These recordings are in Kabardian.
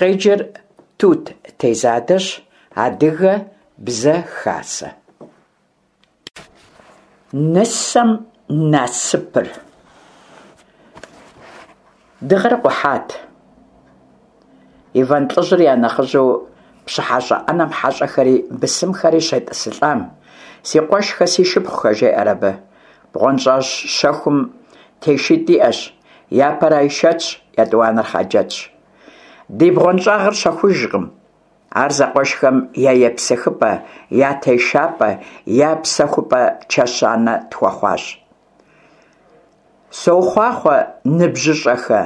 Къеджэр Тут Тезадэщ, Адыгэ бзэ хасэ. Нысэм насыпыр. Дыгъэр къухьат. Иван лӏыжьыр я нэхъыжьу пщыхьэщӏэ ӏэнэм хьэщӏэхэри бысымхэри щетӏысылӏам, Си къуэшхэ, си шыпхъухэ, жеӏэр абы, бгъуэнщӏагъ щэхум тешитӏ иӏэщ, япэр Айшэтщ, етӏуанэр Хъаджэтщ. Ди бгъуэнщӏагъыр щэхужкъым. Ар зэкъуэшхэм я епсыхыпӏэ, я тешапӏэ, я псэхупӏэ чэщанэ тхуэхъуащ. Сохъуахъуэ, ныбжьыщӏэхэ,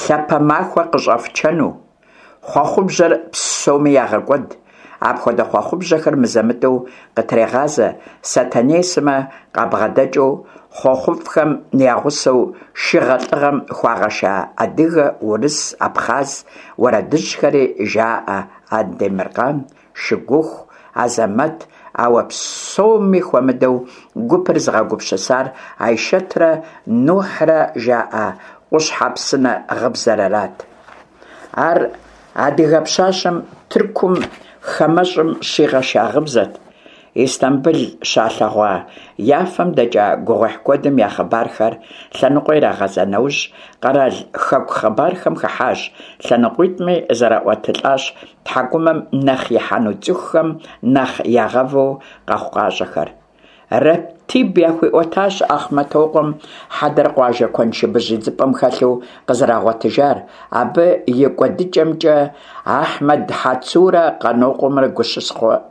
лъапэ махуэ къыщӏэфчэну. Хъуэхъубжьэр псоми ягъэкӏуэд. Апхуэдэ хъуэхъубжьэхэр мызэ-мытӏэу къытрегъазэ Сэтэней сымэ къабгъэдэкӏыу хъуэхъуфӏхэм я гъусэу шыгъэ лӏыгъэм хуагъэша адыгэ, урыс, абхъаз уэрэдыжьхэри жаӏэ Андемыркъан, Шыгуху, Азэмэт, ауэ псоми хуэмыдэу гупыр зыгъэгупсысар Айшэтрэ Нухьрэ жаӏа Къущхьэпсынэ гъыбзэр арат. Ар адыгэ пщащэм Тыркум хамэщӏым щигъэша гъыбзэт. Истамбыл щалъэгъуа, я фэм дэкӏа гугъуехь куэдым я хъыбархэр лъэныкъуэ ирагъэза нэужь, къэрал хэку хъыбархэм хыхьащ, лъэныкъуитӏми зэраӏуэтылӏащ тхьэкӏумэм нэхъ ихьэну цӏыхухэм нэхъ ягъэву къэхъукъащӏэхэр. Рэптиб яхуиӏуэтащ Ахъмэтокъуэм хьэдэр къуажэ куэншыбыжь идзыпӏэм хэлъу къызэрагъуэтыжар, абы и кӏуэдыкӏэмкӏэ Ахьмэд Хьэцурэ Къанокъуэмрэ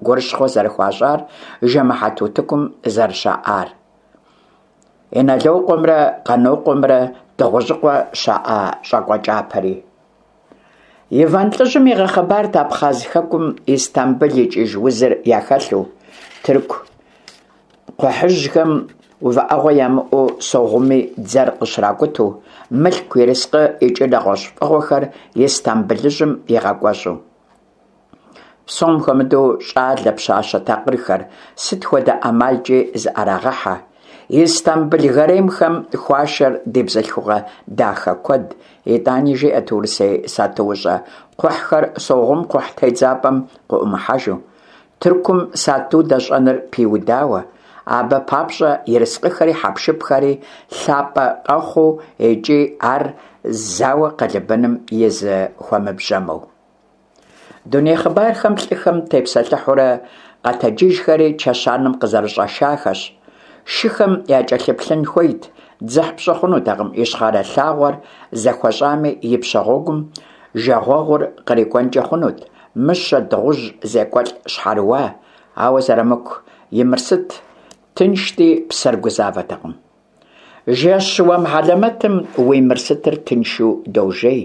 гурыщхъуэ зэрыхуащӏар, жэмыхьэт утыкум зэрыщаӏар. Иналокъуэмрэ Къанокъуэмрэ Дыгъужьыкъуэ щаӏа щӏакӏуэкӏапэри. Иван лӏыжьым игъэхъыбарт Абхъаз хэкум Истамбыл икӏыж узыр яхэлъу, тырку кхъухьыжьхэм увыӏэгъуэ ямыӏэу Согъуми дзэр къыщракӏуту, мылъку, ерыскъы икӏи нэгъуэщӏ фӏыгъуэхэр Истамбылыжьым игъэкӏуэщӏу. Псом хуэмыдэу щӏалэ, пщащэ такъырхэр сыт хуэдэ ӏэмалкӏи зыӏэрагъэхьэ. Истамбыл гаремхэм хуашэр ди бзылъхугъэ дахэ куэд, итӏани жиӏэт урысей сатуущӏэ кхъухьхэр Согъум кхъухь тедзапӏэм къыӏумыхьэжу, Тыркум сату дэщӏэныр пиудауэ, абы папщӏэ ерыскъыхэри хьэпшыпхэри лъапӏэ къэхъуу икӏи ар зауэ къэлыбэным и зы хуэмэбжьымэу. Дуней хъыбархэм лӏыхэм тепсэлъыхьурэ къэтэджыжхэри чэщанэм къызэрыщӏэшахэщ. Шыхэм якӏэлъыплъын хуейт, дзыхь пщӏы хъунутэкъым ищхъэрэ лъагъуэр зэхуэщӏами ипщэ гъуэгум жагъуэгъур кърикӏуэнкӏэ хъунут, мыщэ, дыгъужь, зекӏуэлӏ щхьэрыуа, ауэ Зэрамыку и Мырсыт тыншти, псэр гузавэтэкъым. Жэщ уэм хьэлэмэтым уи Мырсытыр тыншу дожей,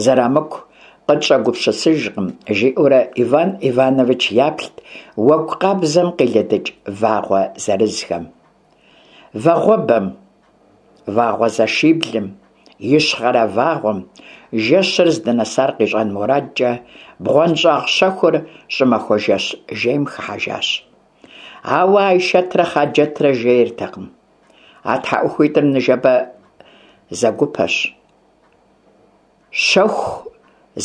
Зэрамыку къытщӏэгупсысыжкъым, жиӏэурэ Иван Иванович яплът уэгу къабзэм къилыдыкӏ вагъуэ зырызхэм. Вагъуэбэм, Вагъуэзэшиблым, Ищхъэрэ вагъуэм, жэщыр здынэсар къищӏэн мурадкӏэ, бгъуэнщӏагъ щэхур щӏымахуэ жэщ жейм хыхьэжащ. Ауэ Айшэтрэ Хъаджэтрэ жейртэкъым. А тхьэӏухуитӏыр ныжэбэ зэгупэщ. Щэху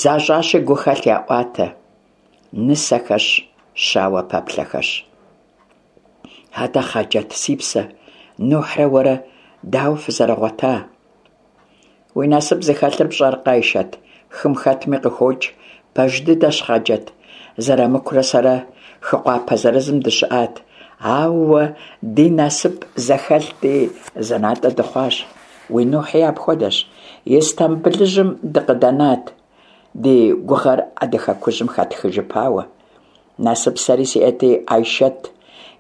защӏащи гухэлъ яӏуатэ. Нысэхэщ, щауэ пэплъэхэщ. Атӏэ, Хъаджэт, си псэ, Нухьрэ уэрэ дауэ фызэрыгъуэта? Уи насып зыхэлъыр пщӏэркъэ, Айшэт, хым хэтми къыхокӏ. Пэж дыдэщ, Хъаджэт, Зэрамыкурэ сэрэ хы къуапэ зырызым дыщыӏат. Ауэ ди насып зэхэлъти, зы натӏэ дыхъуащ. Уи Нухьи апхуэдэщ. Истамбылыжьым дыкъыдэнат, ди гугъэр адэ хэкужьым хэтхыжыпауэ. Насып сэри сиӏэти, Айшэт,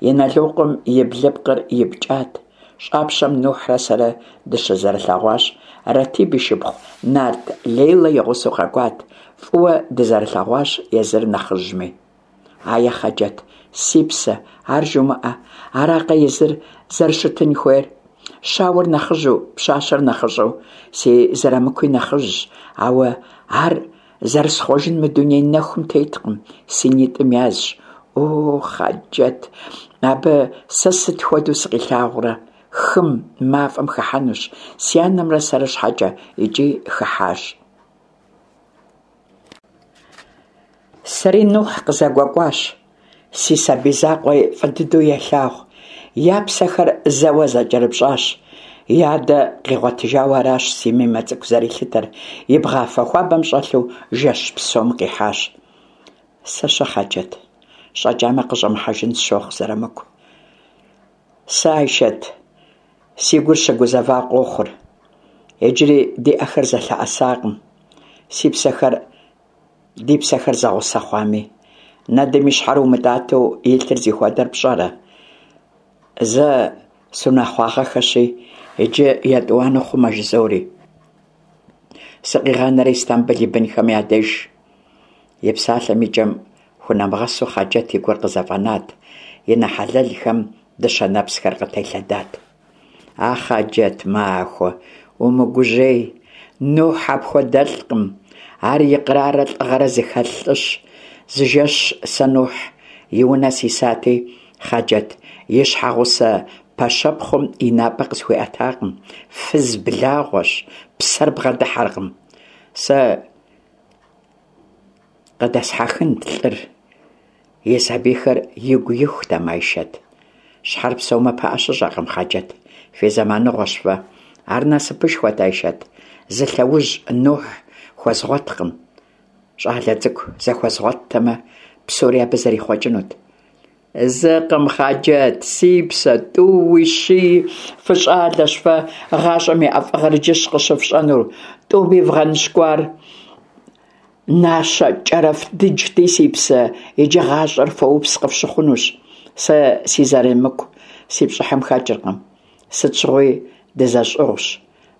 Иналокъуэм и блыпкъыр ипкӏат. Щӏапщэм Нухьрэ сэрэ дыщызэрылъэгъуащ. Ратиб и шыпхъу Нарт Лейлэ и гъусэу къэкӏуат. Фӏыуэ дызэрылъэгъуащ езыр нэхъыжьми. Ае, Хъаджэт, си псэ, ар жумыӏэ, аракъэ езыр зэрыщытын хуейр? Щауэр нэхъыжьу, пщащэр нэхъыщӏэу, си Зэрамыкуи нэхъыжьщ, ауэ ар Зэрысхъуэжын мы дуней нэхум теткъым, си нитӏым язщ. О, Хъаджэт, абы сэ сыт хуэдэу сыкъилъагъурэ? Хым, мафӏэм хыхьэнущ, си анэмрэ сэрэ щхьэкӏэ, икӏи хыхьащ. Сэри Нухь къызэгуэкӏуащ. Си сабий закъуэри фӏы дыдэу елъагъу. Я псэхэр зэуэ зэкӏэрыпщӏащ. И адэ къигъуэтыжауэ аращ си Мимэ цӏыкӏу зэрилъытэр, и бгъафэ хуабэм щӏэлъу жэщ псом къихьащ. Сэ-щэ, Хъаджэт, щӏэкӏамэ къыщӏэмыхьэжын сщохъу Зэрамыку. Сэ, Айшэт, си гур щыгузэва къохъур. Иджыри ди ӏэхэр зэлъэӏэсакъым. Си псэхэр Ди псэхэр зэгъусэ хъуами, нэдым и щхьэр умытӏатэу илъыр зихуэдэр пщӏэрэ? Зэ сунэхъуагъэхэщи, иджы етӏуанэ хъумэ жызори. Сыкъигъанэрэ Истамбыл и бынхэм я деж. И псалъэм и кӏэм хунэмыгъэсу Хъаджэт и гур къызэфӏэнат, и нэ хьэлэлхэм дыщэ нэпсхэр къытелъэдат. А Хъаджэт махуэ, умыгужьей, Нухь апхуэдэлӏкъым, ар икърарэ лӏыгъэрэ зыхэлъ лӏыщ. Зы жэщ сэ Нухь и унэ сисати, Хъаджэт и щхьэгъусэ пэщэпхъум и напӏэ къысхуиӏэтакъым, фыз благъуэщ, псэр бгъэдыхьэркъым. Сэ къыдэсхьэхынт лӏыр. И сабийхэр игу ихутэм, Айшэт. Щхьэр псэумэ пыӏэ щыщӏэкъым, Хъаджэт. Фи зэманыгъуэщ фэ. Ар насыпышхуэт, Айшэт. Зы лъэужь Нухь хуэзгъуэткъым. Щӏалэ цӏыкӏу зэхуэзгъуэттэмэ, псори абы зэрихъуэкӏынут. Зыкъым, Хъаджэт, си псэ, тӏууи, щыи, фыщӏалэщ фэ, гъащӏэм и ӏэфӏыгъэр иджыщ къыщыфщӏэнур. Тӏуми вгъэныщкӏуар Нащэ кӏэрэф дыджти, си псэ, иджы гъащӏэр фоупс къыфщыхъунущ. Сэ си Зэрамыку си пщӏыхьым хэкӏыркъым. Сыт щыгъуи дызэщӏыгъущ.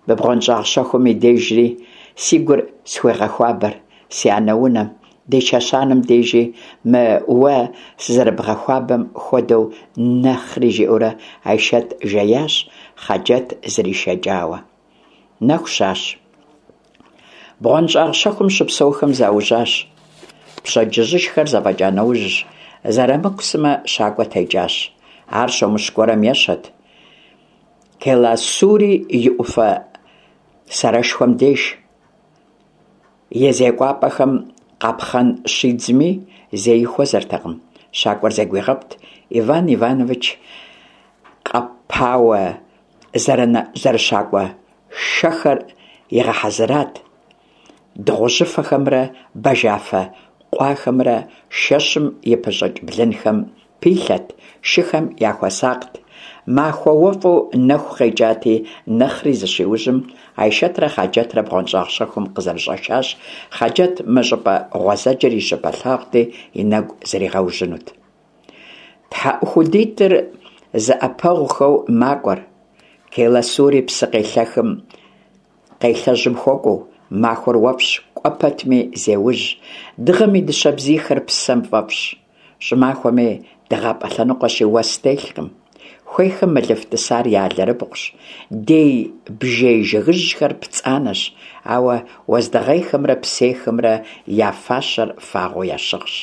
Мы бгъуэнщӏагъ щэхум и дежри си гур схуегъэхуабэр, си анэ унэм, ди чэщанэм дежи мы уэ сызэрыбгъэхуабэм хуэдэу нэхъри, жиӏэурэ Айшэт жеящ, Хъаджэт зришэкӏауэ. Нэху щащ. Бгъуэнщӏагъ щэхум щыпсэухэм заужьащ. Пщэдджыжьышхэр зэфӏэкӏа нэужь, Зэрамыку сымэ щакӏуэ текӏащ. Ар щомыщ гуэрым ещэт. Келасури и ӏуфэ сэрэшхуэм деж. И зекӏуапӏэхэм къапхъэн щидзми, зэи хуэзэртэкъым. Щакӏуэр зэгуигъэпт Иван Иванович къэпауэ зэрыщакӏуэ шэхэр игъэхьэзырат, дыгъужьыфэхэмрэ бажафэ къуахэмрэ шэщым и пыщӏыкӏ блынхэм пилъэт, шыхэм яхуэсакът. Махуэ уэфӏу нэху къекӏати, нэхъри зыщиужьым, Айшэтрэ Хъаджэтрэ бгъуэнщӏагъ щэхум къызэрыщӏэшащ, Хъаджэт мы щӏыпӏэ гъуэзэджэр и щыпэлъагъути, и нэгу зригъэужьынут. Тхьэӏухудитӏыр зэӏэпэгъухэу макӏуэр, Келасури псы къелъэхым къелъэжьым хуэкӏуэу, махуэр уэфӏщ, кӏуэ пэтми зеужь, дыгъэм и дыщэ бзийхэр псэм фӏэфӏщ. Щӏымахуэми дыгъапӏэ лъэныкъуэщи уэс телъкъым. Хуейхэм мылыф тӏысар я алэрыбгъущ, дей бжей жыгыжьхэр пцӏанэщ, ауэ уэздыгъейхэмрэ псейхэмрэ я фащэр фагъуэу ящыгъщ.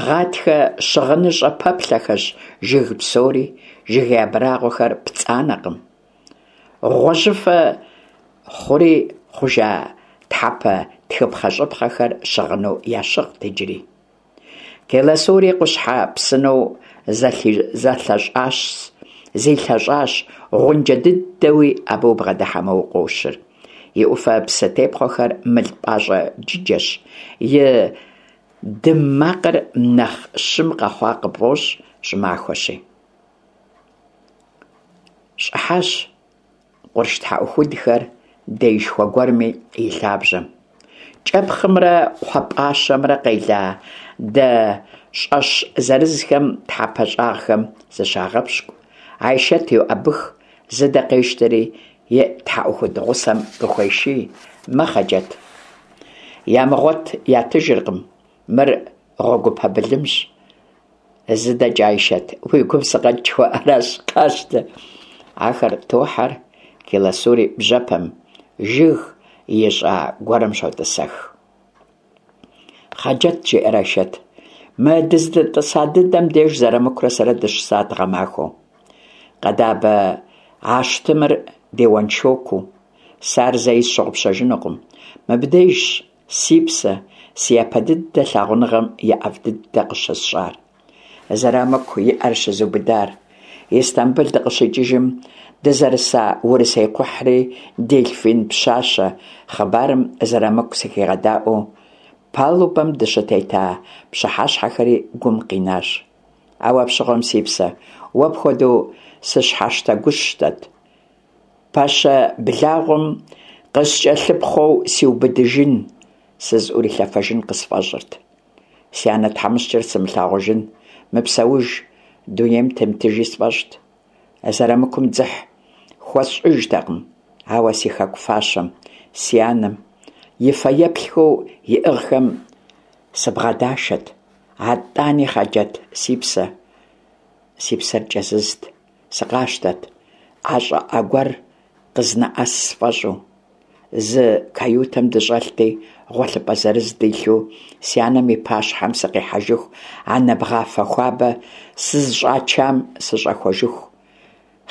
Гъатхэ щыгъыныщӏэ пэплъэхэщ жыг псори, жыгей абрагъуэхэр пцӏанэкъым. Гъуэжьыфэ хъури хъужа тхьэпэ тхыпхъэщӏыпхъэхэр щыгъыну ящыгът иджыри. Келасури къущхьэ псынэу зэлъэщӏащ, зилъэщӏащ, гъунджэ дыдэуи абы убгъэдыхьэмэ укъощыр. И ӏуфэ псы тепхъуэхэр мыл пӏащӏэ джыджэщ, и дым макъыр нэхъ щым къэхъуа къыпфӏощӏ щӏымахуэщи. Щӏыхьащ къурш тхьэӏухудхэр деишхуэ гуэрми и лъабжьэм. Кӏэпхъымрэ кхъуэпӏащэмрэ къела дэ щӏэщ зырызхэм тхьэпэ щӏагъхэм зыщагъэпщкӏу. Айшэт йоӏэбых, зы дэ къещтэри и тхьэӏухуд гъусэм къыхуеший: Мэ, Хъаджэт. Ямыгъуэт ятыжыркъым, мыр гъуэгупэ былымщ. Зы дэкӏэ, Айшэт, уи гум сыкъэкӏ жыхуаӏэращ, къащтэ. Ахэр тохьэр Келасури бжьэпэм, жыг ищӏа гуэрым щотӏысэх. Хъаджэт, жеӏэр Айшэт, мы дыздэтӏыса дыдэм деж Зэрамыкурэ сэрэ дыщысат гъэмахуэу. Къэдабэ ащтымыр ди уэншокуу. Сэ ар зэи сщыгъупщэжынукъым. Мыбдежщ, си псэ, си япэ дыдэ лъагъуныгъэм и ӏэфӏ дыдэ къыщысщӏар. Зэрамыку и ӏэр щызубыдар. Истамбыл дыкъыщикӏыжым дызэрыса урысей кхъухьри дельфин пщащэ хъыбарым Зэрамыку сыхигъэдаӏуэу палубэм дыщытета пщыхьэщхьэхэри гум къинащ. Ауэ апщыгъуэм, си псэ, уэ пхуэдэу сыщхьэщтэгущтэт. Пэщэ благъуэм къыскӏэлъыпхъуэу сиубыдыжын, сызыӏурилъэфэжын къысфӏэщӏырт. Си анэ тхьэмыщкӏэр сымылъагъужын, мыпсэуж, дунейм темытыжи сфӏэщӏт. Зэрамыкум дзыхь хуэсщӏыжтэкъым, ауэ си хэку фащэм, си анэм, и фэеплъхэу иӏыгъхэм сыбгъэдашэт. Атӏани, Хъаджэт, си псэ, си псэр кӏэзызт, сыкъащтэт, ӏэ щӏыӏэ гуэр къызнэӏэс сфӏэщӏу. Зы каютэм дыщӏэлъти, гъуэлъыпӏэ зырыз дилъу, си анэм и пащхьэм сыкъихьэжыху, анэ бгъафэ хуабэ сызыщӏачам сыщӏэхуэжыху.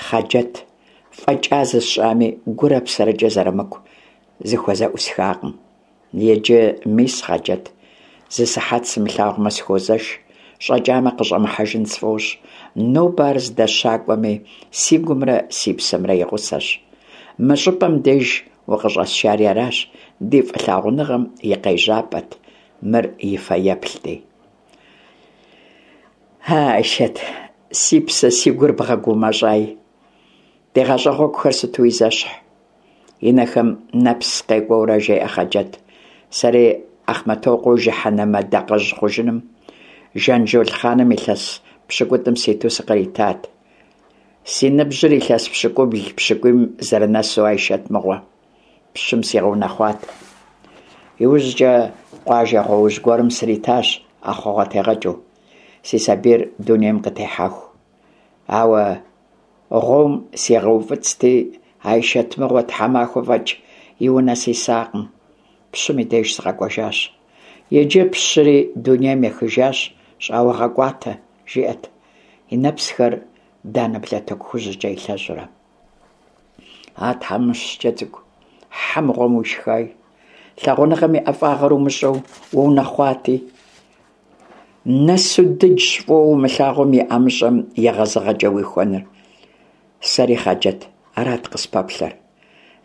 Хъаджэт, фӏэкӏа зысщӏами, гурэ псэрэкӏэ Зэрамыку зыхуэзэӏусхакъым. Иджы мис, Хъаджэт, зы сыхьэт сымылъагъумэ сыхуозэш, щӏэкӏамэ къыщӏэмыхьэжын сфӏощӏ. Нобэ ар здэщакӏуэми, си гумрэ си псэмрэ и гъусэщ. Мы щӏыпӏэм деж укъыщӏэсшари аращ, ди фӏылъагъуныгъэм и къежьапӏэт, мыр и фэеплъти. А, Айшэт, си псэ, си гур бгъэгумэщӏай. Ди гъащӏэ гъуэгухэр сытуи зэщхь. И нэхэм нэпс къекӏуэурэ жеӏэ Хъаджэт, сэри Ахъмэтокъуэу жыхьэнэмэ дакъэжь хъужыным Жанжол хъаным илъэс пщыкӏутӏым ситу сыкъритат. Си ныбжьыр илъэс пщыкӏубл-пщыкӏуийм зэрынэсу Айшэт мыгъуэ, пщым сигъэунэхъуат. Иужькӏэ къуажэ гъуоужь гуэрым сритащ ӏэхъуэгъуэтегъэкӏыу, си сабийр дунейм къытехьэху. Ауэ гъуом сигъэуфӏыцӏти, Айшэт мыгъуэ тхьэмахуэ фӏэкӏ и унэ сисакъым, пщым и деж сыкъэкӏуэжащ. Иджы пщыри дунейм ехыжащ, щӏауэгъэкӏуатэ, жиӏэт, и нэпсхэр данэ блатыку хужькӏэ илъэщӏурэ. А тхьэмыщкӏэ цӏыкӏу, хьэ мыгъуэм уишхай, лъагъуныгъэм и ӏэфӏагъэр умыщӏэу уунэхъуати. Нэсу дыджщ фӏыуэ умылъагъум и ӏэмыщӏэм егъэзыгъэкӏэ уихуэныр. Сэри, Хъаджэт, арат къыспэплъэр.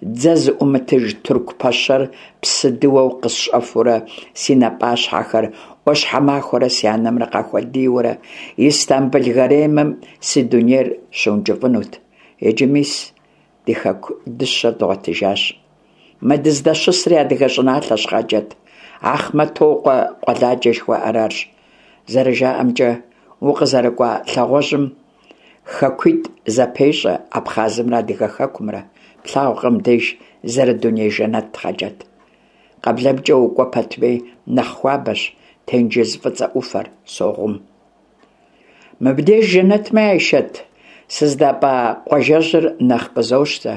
Дзэ зыӏумытыж тырку пэщэр псыдыуэу къысщӏэфурэ си напӏащхьэхэр ӏуащхьэмахуэрэ си анэмрэ къахуэдийуэрэ Истамбыл гаремым си дунейр щыункӏыфӏынут. Иджы мис, ди хэку дыщэр дгъуэтыжащ. Мы дыздэщысри адыгэ щӏыналъэщ, Хъаджэт, Ахъмэтокъуэ къуэладжэ жыхуаӏэр арщ. Зэрыжаӏэмкӏэ, укъызэрыкӏуа лъагъуэжьым Хэкуитӏ зэпещӏэ, Абхъазымрэ Адыгэ хэкумрэ. Плъагъукъэ мыбдеж зэрыдуней жэнэт, Хъаджэт. Къэблэмкӏэ укӏуэ пэтми, нэхъ хуабэщ тенджыз Фӏыцӏэ ӏуфэр, Согъум. Мыбдеж жэнэтми, Айшэт, сыздапӏа къуажэжьыр нэхъ къызощтэ.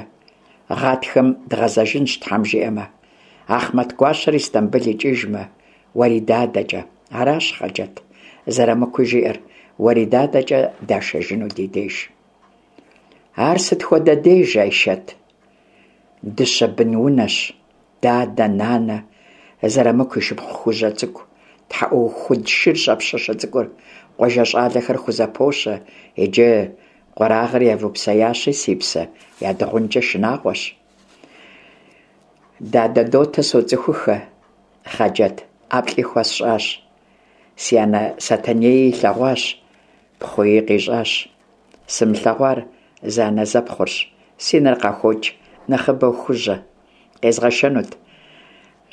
Гъатхэм дгъэзэжынщ, Тхьэм жиӏэмэ. Ахъмэт гуащэр Истамбыл икӏыжмэ, Уэридадэкӏэ. Аращ, Хъаджэт, Зэрамыкуи жиӏэр, Уэридадэкӏэ дашэжыну ди деж. Ар сыт хуэдэ деж, Айшэт? Дыщэ бын унэщ, дадэ, нанэ, Зэрамыку и шыпхъу Хужьэ цӏыкӏу, тхьэӏухуд шыр щӏэпщэщэ цӏыкӏур, къуажэ щӏалэхэр хузэпощэ, иджы къуэрагъыр явупсеящи, си псэ, ядыгъункӏэ шынагъуэщ. Дадэ Дотэ соцӏыхухэ, Хъаджэт, ӏэплӏи хуэсщӏащ. Си анэ Сэтэнеи илъэгъуащ, пхъуи къищӏащ. Сымылъэгъуар зэанэзэпхъурщ, си нэр къахуокӏ, нэхъыбэу Хужьэ. Къезгъэшэнут.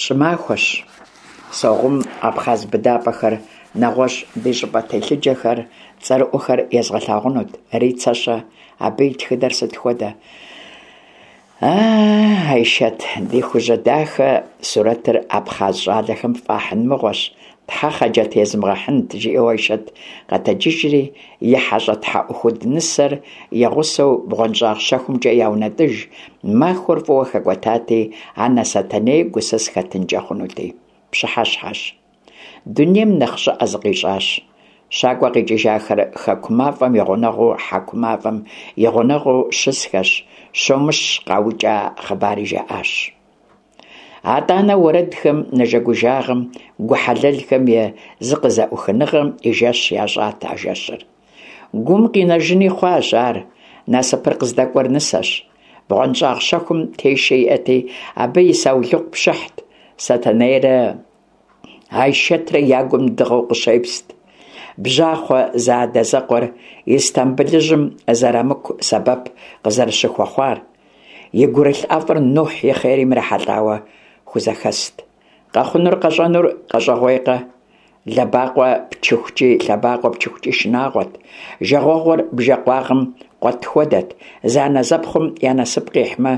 Щӏымахуэщ. Согъум абхъаз быдапӏэхэр, нэгъуэщӏ ди щӏыпӏэ телъыджэхэр, цӏэрыӏуэхэр езгъэлъагъунут. Рицэ-щэ? Абы и тхыдэр сыт хуэдэ? А, Айшэт, ди Хужьэ дахэ сурэтыр абхъаз щӏалэхэм фӏахьын мыгъуэщ, тхьэ Хъаджэт езмыгъэхьынт, жиӏэу Айшэт къэтэджыжри, и хьэщӏэ тхьэӏухуд нысэр и гъусэу бгъуэнщӏагъ щэхумкӏэ яунэтӏыж, махуэр фӏыуэ хэкӏуэтати, анэ Сэтэней гусыс хэтынкӏэ хъунути. Пщыхьэщхьэщ. Дунейм нэхъ щӏыӏэ зыкъищӏащ. Щакӏуэ къикӏыжахэр хэку мафӏэм и гъунэгъуу хьэку мафӏэм и гъунэгъуу щысхэщ, щомыщ къаукӏа хъыбари жаӏащ. Атӏанэ уэрэдхэм, нэжэгужагъэм, гу хьэлэлхэм я зыкъызэӏухыныгъэм и жэщ ящӏат а жэщыр. Гум къинэжыни хъуащ ар, насыпыр къыздэкӏуэр нысэщ. Бгъуэнщӏагъ щэхум тешэ иӏэти, абы и саулыкъу пшыхьт, Сэтэнейрэ Айшэтрэ я гум дыгъэу къыщепст. Бжьахъуэ зэадэзэкъуэр Истамбылыжьым Зэрамыку сэбэп къызэрыщыхуэхъуар. И гурылъ ӏэфӏыр Нухь и хъерым ирихьэлӏауэ хузэхэст. Къэхъунур къэщӏэнур къэщӏэгъуейкъэ? Лъэбакъуэ пчыхукӏи, лъэбакъуэ пчыхукӏи шынагъуэт. Жагъуэгъур бжэ къуагъым къуэт хуэдэт. Зэанэзэпхъум я насып къихьмэ,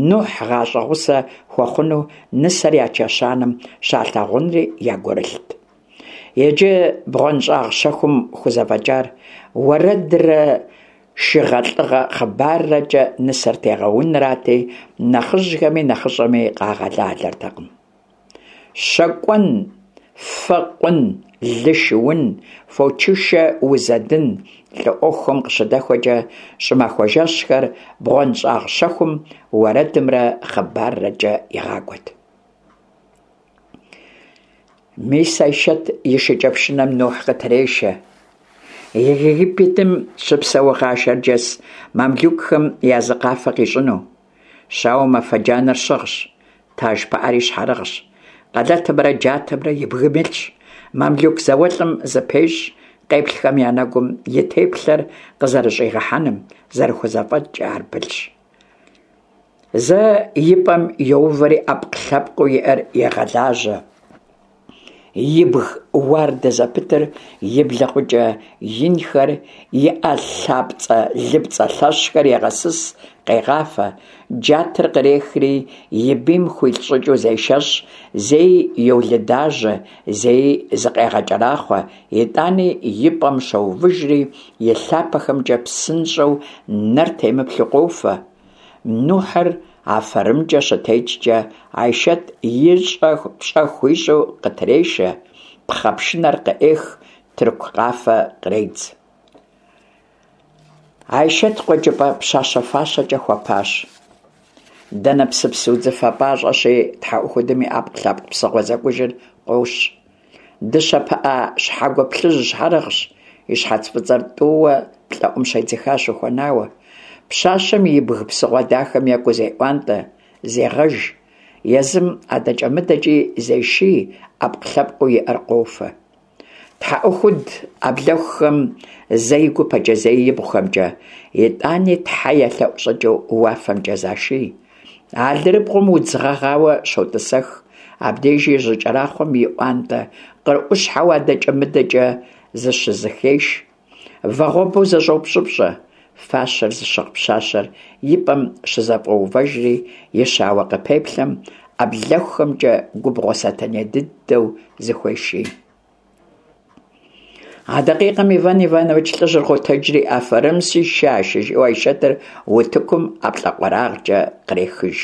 Нухь гъащӏэ гъусэ хуэхъуну нысэр я чэщанэм щалъагъунри я гурылът. Иджы бгъуэнщӏагъ щэхум хузэфӏэкӏар уэрэдрэ шыгъэлӏыгъэ хъыбаррэкӏэ нысэр тегъэунрати, нэхъыжьхэми нэхъыщӏэми къагъэлалэртэкъым. Щэкӏуэн, фэ къун, лы шыун, фочышэ узэдын лӏы ӏуэхухэм къыщыдэхуэкӏэ щӏымахуэ жэщхэр бгъуэнщӏагъ щэхум уэрэдымрэ хъыбаррэкӏэ игъакӏуэт. Мис Айшэт и шыкӏэпшынэм Нухь къытрешэ. Египетым щыпсэугъа шэрджэс мамлюкхэм я зы къафэ къищӏыну. Щауэм афэ джанэр щыгъщ, таж пыӏэри щхьэрыгъщ, къэлэтымрэ джатэмрэ и бгым илъщ. Мамлюк зауэлӏым зыпещӏ, къеплъхэм я нэгум и теплъэр къызэрыщӏигъэхьэным зэрыхузэфӏэкӏкӏэ ар пылъщ. Зэ и пӏэм йоувэри ӏэпкълъэпкъыу иӏэр егъэлажьэ. Ибг уардэ зэпытыр, и блэкъукӏэ инхэр, и ӏэ лъапцӏэ-лыпцӏэ лъэщхэр егъэсыс, къегъафэ. Джатэр кърехри, и бийм хуилъ щӏыкӏэу зешэщӏ, зэи йолыдажьэ, зэи зыкъегъэкӏэрахъуэ, итӏани и пӏэм щоувыжри, и лъапэхэмкӏэ псынщӏэу нэр темыплъу къофэ. Нухьыр афэрымкӏэ щытекӏкӏэ, Айшэт и пщӏэ хуищӏу къытрешэ, пхъэ пшынэр къыӏех, тырку къафэ къредз. Айшэт къуэкӏыпӏэ пщащэ фащэкӏэ хуэпащ. Дэнэпсыпс удзыфэ пӏащӏэщи, тхьэӏухудым и ӏэпкълъэпкъ псыгъуэ зэкӏужыр къощ. Дыщэ пыӏэ щхьэгуэ плъыжь щхьэрыгъщ, и щхьэц фӏыцӏэр тӏууэ плӏэӏум щедзыхащ ухуэнауэ. Пщащэм ибг псыгъуэ дахэм екӏуу зеӏуантӏэ, зегъэж. Езым адэкӏэ-мыдэкӏи зеший, ӏэпкълъэпкъыу иӏэр къофэ. Тхьэӏухуд ӏэблэхухэм зэ и гупэкӏэ, зэи ибгъухэмкӏэ, итӏани тхьэ елъэӏу щӏыкӏэу уафэмкӏэ заший. Алэрыбгъум удз гъэгъауэ щотӏысэх, абдежи жьыкӏэрахъуэм иӏуантӏэ къырӏущхьэу адэкӏэ-мыдэкӏэ зыщызэхеш. Вагъуэбэу зэщӏопщӏыпщӏэ. Фащэр зыщыгъ пщащэр и пӏэм щызэфӏоувэжри, и щауэ къыпеплъэм ӏэблэхухэмкӏэ губгъуэ сэтэней дыдэу зыхуеший. А дакъикъэм Иван Иванович лӏыжьыр къотэджри, афэрым си шашэ, жиӏэу Айшэтыр утыкум ӏэплӏэкъуэрагъкӏэ кърехыж.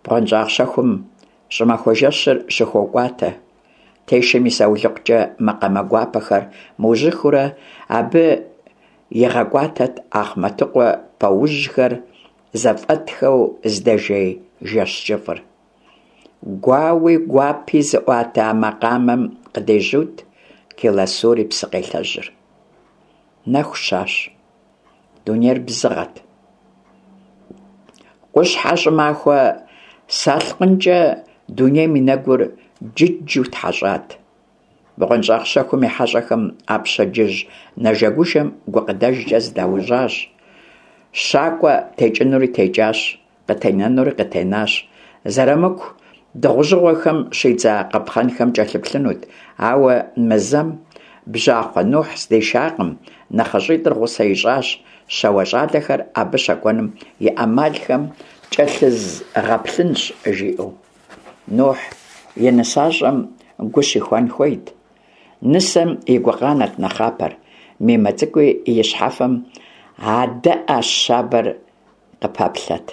Бгъуэнщӏагъ щэхум щӏымахуэ жэщыр щыхокӏуатэ. Тешэм и саулыкъукӏэ макъамэ гуапэхэр мыужьыхыурэ абы игъэкӏуатэт Ахъмэтыкъуэ пэужьхэр зэфӏэтхэу здэжей жэщ кӏыфӏыр. Гуауи гуапи зыӏуатэ а макъамэм къыдежьут Келасур и псыкъелъэжьыр. Нэху щащ. Дунейр бзыгъэт. Къущхьэ щӏымахуэ салъкъынкӏэ дунейм и нэгур джыджу тхьэщӏат. Бгъуэнщӏагъ щэхум и хьэщӏэхэм а пщэдджыжь нэжэгужэм гукъыдэжкӏэ зыдаужьащ. Щакӏуэ текӏынури текӏащ. Къытенэнури къытенащ. Зэрамыку дыгъужьыгъуэхэм щидза къапхъэнхэм кӏэлъыплъынут, ауэ мы зэм бжьахъуэ Нухь здишакъым, нэхъыщӏитӏыр гъусэ ищӏащ, щауэ щӏалэхэр абы щэкӏуэным и ӏэмалхэм кӏэлъызгъэплъынщ, жиӏэу. Нухь и нысащӏэм гу щихуэн хуейт. Нысэм и гукъанэт нэхъапэр, Мимэ цӏыкӏуи и щхьэфэм адэӏэ щабэр къыпэплъэт.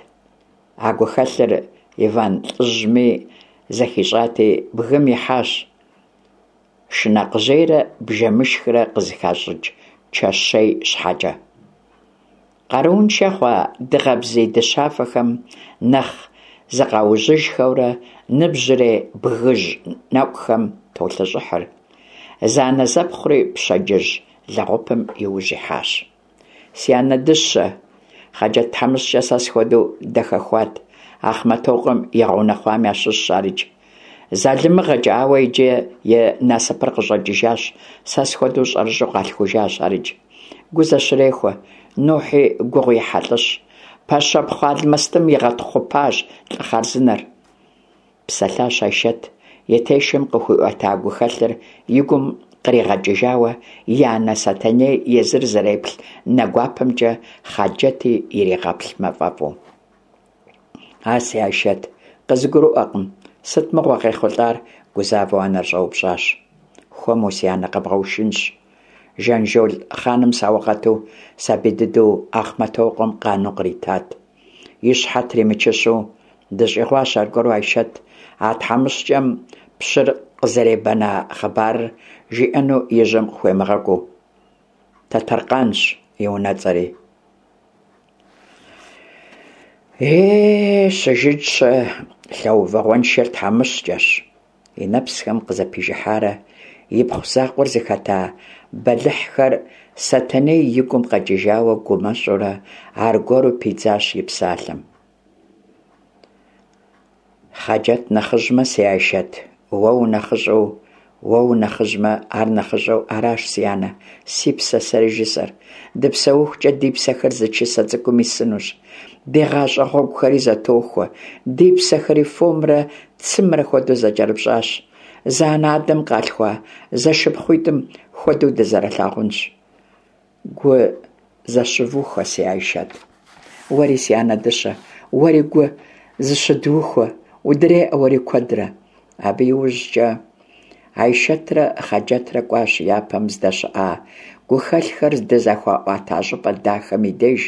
А гухэлъыр Иван лӏыжьми зэхищӏати, бгым ихьащ. Шынакъжьейрэ бжэмышхрэ къызыхащӏыкӏ чэщей щхьэкӏэ. Къарууншэ хъуа дыгъэ бзий дыщафэхэм нэхъ зыкъаужьыжхэурэ ныбжьрей бгыжь нэкӀухэм толъэщӀыхьыр. Зэанэзэпхъури пщэдджыжь лэгъупым и ужь ихьащ. Си анэ дыщэ, Хъаджэт тхьэмыщкӀэ сэ схуэдэу дахэхуат, Ахъмэтокъуэм игъэунэхъуам ящыщщ арикӏ. ЗалымыгъэкӀэ, ауэ иджы и насыпыр къыщӀэкӀыжащ, сэ схуэдэу щӀэрыщӀэу къалъхужащ арикӏ. Гу зэщрехуэ, Нухьи гугъу ехьа лӀыщ. Пэщэпхъу алмэстым игъэтхъупащ лӀы хъарзынэр. Псэлъащ Айшэт, и тешэм къыхуиӀуэта гухэлъыр и гум къригъэкӀыжауэ, и анэ Сэтэней езыр зэреплъ нэ гуапэмкӀэ Хъаджэти иригъэплъмэ фӀэфӀу. А си Айшэт, къызгурыӀуэкъым, сыт мыгъуэ къехъулӀар? гузавэу анэр щӀэупщӀащ. Хуэму, си анэ, къэбгъэушынщ. Жанжол хъаным саугъэту сабий дыдэу Ахъмэтокъуэм къану къритат. И щхьэ тримычыщу дыщӀигъуащ аргуэру Айшэт, а тхьэмыщкӀэм пщыр къызэребэна хъыбарыр жиӀэну и жьэм къыхуемыгъэкӀуу. Тэтэркъанщ и унэцӀэри. Е, щыжытщэ, лъэувэгъуэншэр тхьэмыщкӀэщ. И нэпсхэм къызэпижыхьарэ ипхъу закъуэр зыхэта бэлыхьхэр Сэтэней и гум къэкӀыжауэ гумэщӀурэ аргуэру пидзащ и псалъэм. Хъаджэт нэхъыжьмэ, си Айшэт, уэ унэхъыщӀэу, уэ унэхъыжьмэ, ар нэхъыщӀэу аращ, си анэ, си псэ сэри жысӏэр. Дыпсэухукӏэ ди псэхэр зы чысэ цӀыкӀум исынущ. Ди гъащӀэ гъуэгухэри зэтохуэ, ди псэхэри фомрэ цымрэ хуэдэу зэкӀэрыпщӀащ. Зы анэ-адэм къалъхуа зэшыпхъуитӀым хуэдэу дызэрылъагъунщ. Гу зэщывухуэ, си Айшэт. Уэри, си анэ дыщэ, уэри гу зыщыдухуэ, удреӀэ уэри куэдрэ. Абы иужькӀэ Айшэтрэ Хъаджэтрэ кӀуащ япэм здэщыӀа гухэлъхэр здызэхуаӀуэта щӀыпӀэ дахэм и деж.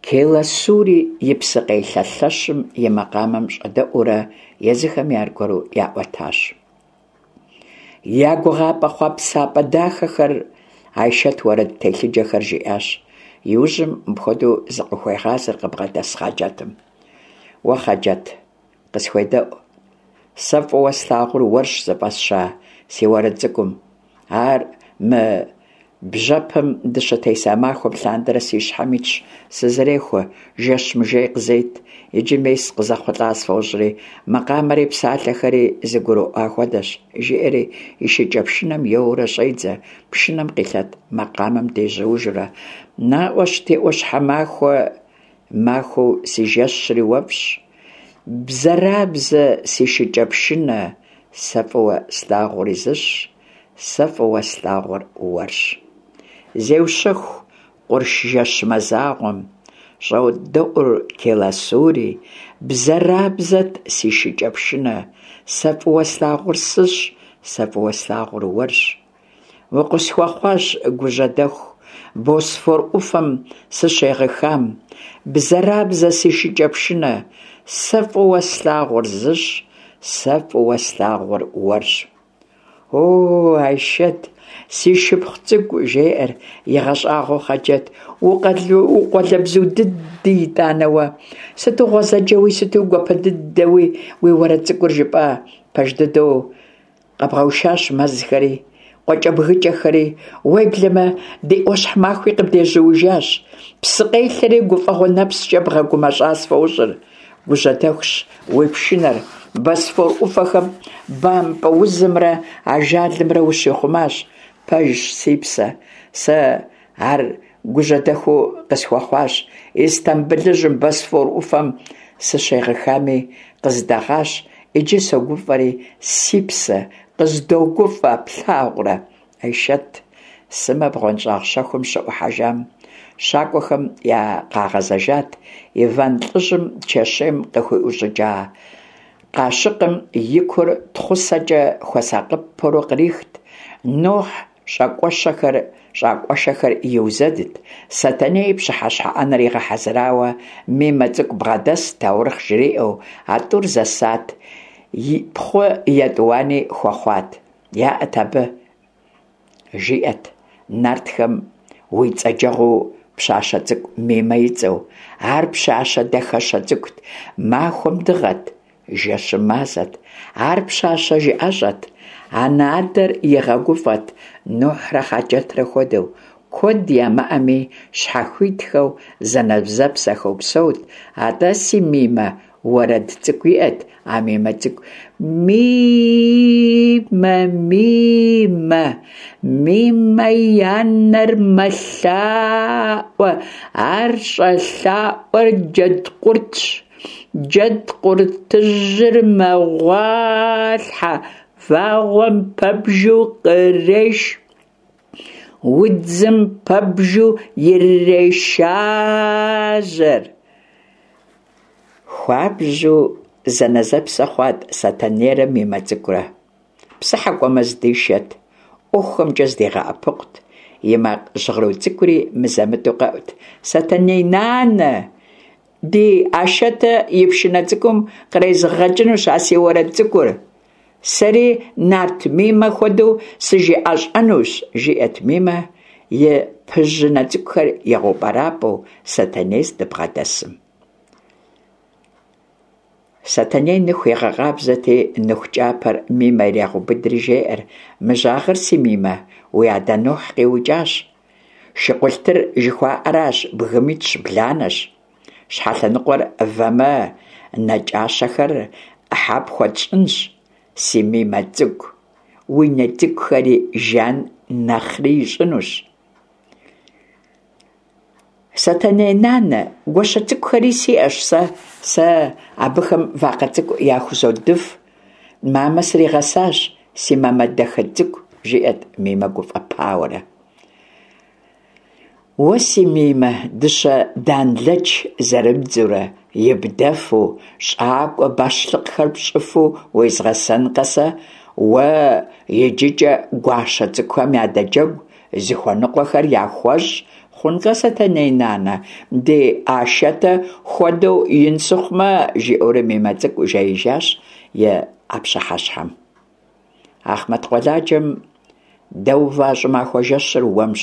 Келасури и псыкъелъэ лъэщым и макъамэм щӀэдэӀуурэ езыхэми аргуэру яӀуэтащ. Я гугъапӀэ хъуэпсапӀэ дахэхэр Айшэт уэрэд телъыджэхэр жиӀащ. Иужьым мыпхуэдэу зыкъыхуегъазэр къыбгъэдэс Хъаджэтым. Уэ, Хъаджэт, къысхуедэӀу. Сэ фӀыуэ слъагъур уэрщ зыфӀэсща си уэрэд цӀыкӀум. Ар мы бжьэпэм дыщытеса махуэм лъандэрэ си щхьэм итщ, сызэрехуэ, жэщ мыжей къызет. Иджы мес къызэхъулӏа сфӀощӀри, макъамэри псалъэхэри зэгурыӀуа хуэдэщ, жиӏэри и шыкӀэпшынэм еуэурэ щӀедзэ, пшынэм къилъэт макъамэм дежьуужурэ. НаӀуэщ ди Ӏуащхьэмахуэ махуэу си жэщри уэфӀщ. Бзэрабзэ си шыкӀэпшынэ, сэ фӀыуэ слъагъури зыщ. Сэ фӀыуэ слъагъур уэрщ. Зеущэху къурш жэщ мазагъуэм, щӀодэӀур Келасури, бзэрабзэт си шыкӀэпшынэ, сэ фӀыуэ слъагъур сыщ, сэ фӀыуэ слъагъур уэрщ. Укъысхуэхъуащ гужьэдэху, Босфор Ӏуфэм сыщегъыхам, бзэрабзэ си шыкӀэпшынэ, сэ фӀыуэ слъагъур зыщ, сэ фӀыуэ слъагъур уэрщ. О, Айшэт, си шыпхъу цӏыкӏу, жеӏэр игъэщӏагъуэу Хъаджэт, укъуалэбзу дыди итӏанэ уэ. Сыту гъуэзэджэуи, сыту гуапэ дыдэуи уи уэрэд цӏыкӏур жыпӏа, пэж дыдэу къэбгъэушащ мэзхэри, къуакӏэбгыкӏэхэри, уеблэмэ ди ӏуащхьэмахуи къыбдежьуужащ. Псыкъелъэри гуфӏэгъуэ нэпскӏэ бгъэгумэщӏа сфӏощӏыр. Гужьэдэхущ уи пшынэр, Босфор ӏуфэхэм бампӏэ узымрэ ажалымрэ ущихъумащ. Пэжщ, си псэ, сэ ар гужьэдэхуу къысхуэхъуащ. Истамбылыжьым Босфор ӏуфэм сыщегъыхами, къыздэгъащ. Иджы согуфӏэри, си псэ, къыздогуфӏэ, плъагъурэ? Айшэт сымэ бгъуэнщӏагъ щэхум щыӏухьэжам, щакӏуэхэм я къагъэзэжат, Иван лӏыжьым чэщейм къыхуиӏущӏыкӏа къащыкъым и кур тхъусэкӏэ хуэсакъыпэурэ кърихт, Нухь щӏакӏуэщэхэр иузэдт, Сэтэней пщыхьэщхьэ ӏэнэр игъэхьэзырауэ, Мимэ цӏыкӏу бгъэдэст таурыхъ жриӏэу, а тӏур зэсат, пхъу етӏуани хуэхъуат. Яӏэт абы, жиӏэт, нартхэм уи цӏэджэгъуу пщащэ цӏыкӏу Мимэ и цӏэу. Ар пщащэ дахэщэ цӏыкӏут, махуэм дыгъэт, жэщым мазэт. Ар пщащэ жыӏэщӏэт. Анэ-адэр игъэгуфӏэт, Нухьрэ Хъаджэтрэ хуэдэу. Куэд ямыӏэми, щхьэхуитхэу, зэнэзэпсэхэу псэут. Атӏэ, си Мимэ уэрэд цӏыкӏу иӏэт, а Мимэ цӏыкӏу. Мимэ, Мимэ, Мимэ и анэр мэлъаӏуэ, ар щӏэлъаӏуэр джэдкъуртщ. Джэдкъуртыжьыр мэгъуалъхьэ, вагъуэм пэбжу къреш. Удзым пэбжу ирешажьэр. Хуабжьу зэнэзэпсэ хъуат Сэтэнейрэ Мимэ цӏыкӏурэ. Псыхьэ кӏуэмэ здишэт, ӏуэхухэмкӏэ здигъэӏэпыкъут. И макъ жьгъыру цӏыкӏури мызэ-мытӏэу къэӏут. Сэтэней нанэ, ди Ашэтэ и пшынэ цӏыкӏум кърезгъэкӏынущ а си уэрэд цӏыкӏур. Сэри нарт Мимэ хуэдэу сыжыӏэщӏэнущ, жиӏэт Мимэ, и пыжьынэ цӏыкӏухэр игъэупӏэрапӏэу Сэтэней здыбгъэдэсым. Сэтэней ныху игъэкъабзэти, ныху кӏапэр Мимэ ирегъэубыдри жеӏэр, Мы жьагъэр, си Мимэ, уи адэ Нухь къиукӏащ. Шыкъулътыр жыхуаӏэращ, бгым итщ, бланэщ. Щхьэлъэныкъуэр вэмэ, нэкӏащэхэр ӏыхьэ пхуэтщӏынщ, си Мимэ цӏыкӏу. Уи нэ цӏыкӏухэри жан нэхъри ищӏынущ. Сэтэней нанэ, гуащэ цӏыкӏухэри сиӏэщ сэ, сэ абыхэм вакъэ цӏыкӏу яхузодыф. Мамэ сригъэсащ, си мамэ дахэ цӏыкӏу, жиӏэт Мимэ гуфӏэпауэрэ. Уэ, си Мимэ, дыщэ данлэч зэрыбдзурэ ибдэфу, щӏакӏуэ бащлъыкъхэр пщӏыфу уезгъэсэнкъэ сэ, уэ иджыкӏэ гуащэ цӏыкӏухэм ядэджэгу, зыхуэныкъуэхэр яхуэщӏ хъункъэ, Сэтэней нанэ, ди Ашэтэ хуэдэу ин сыхъумэ, жиӏэурэ Мимэ цӏыкӏу жеижащ и а пщыхьэщхьэм. Ахъмэт къуэладжэм дэува щӏымахуэ жэщыр уэмщ,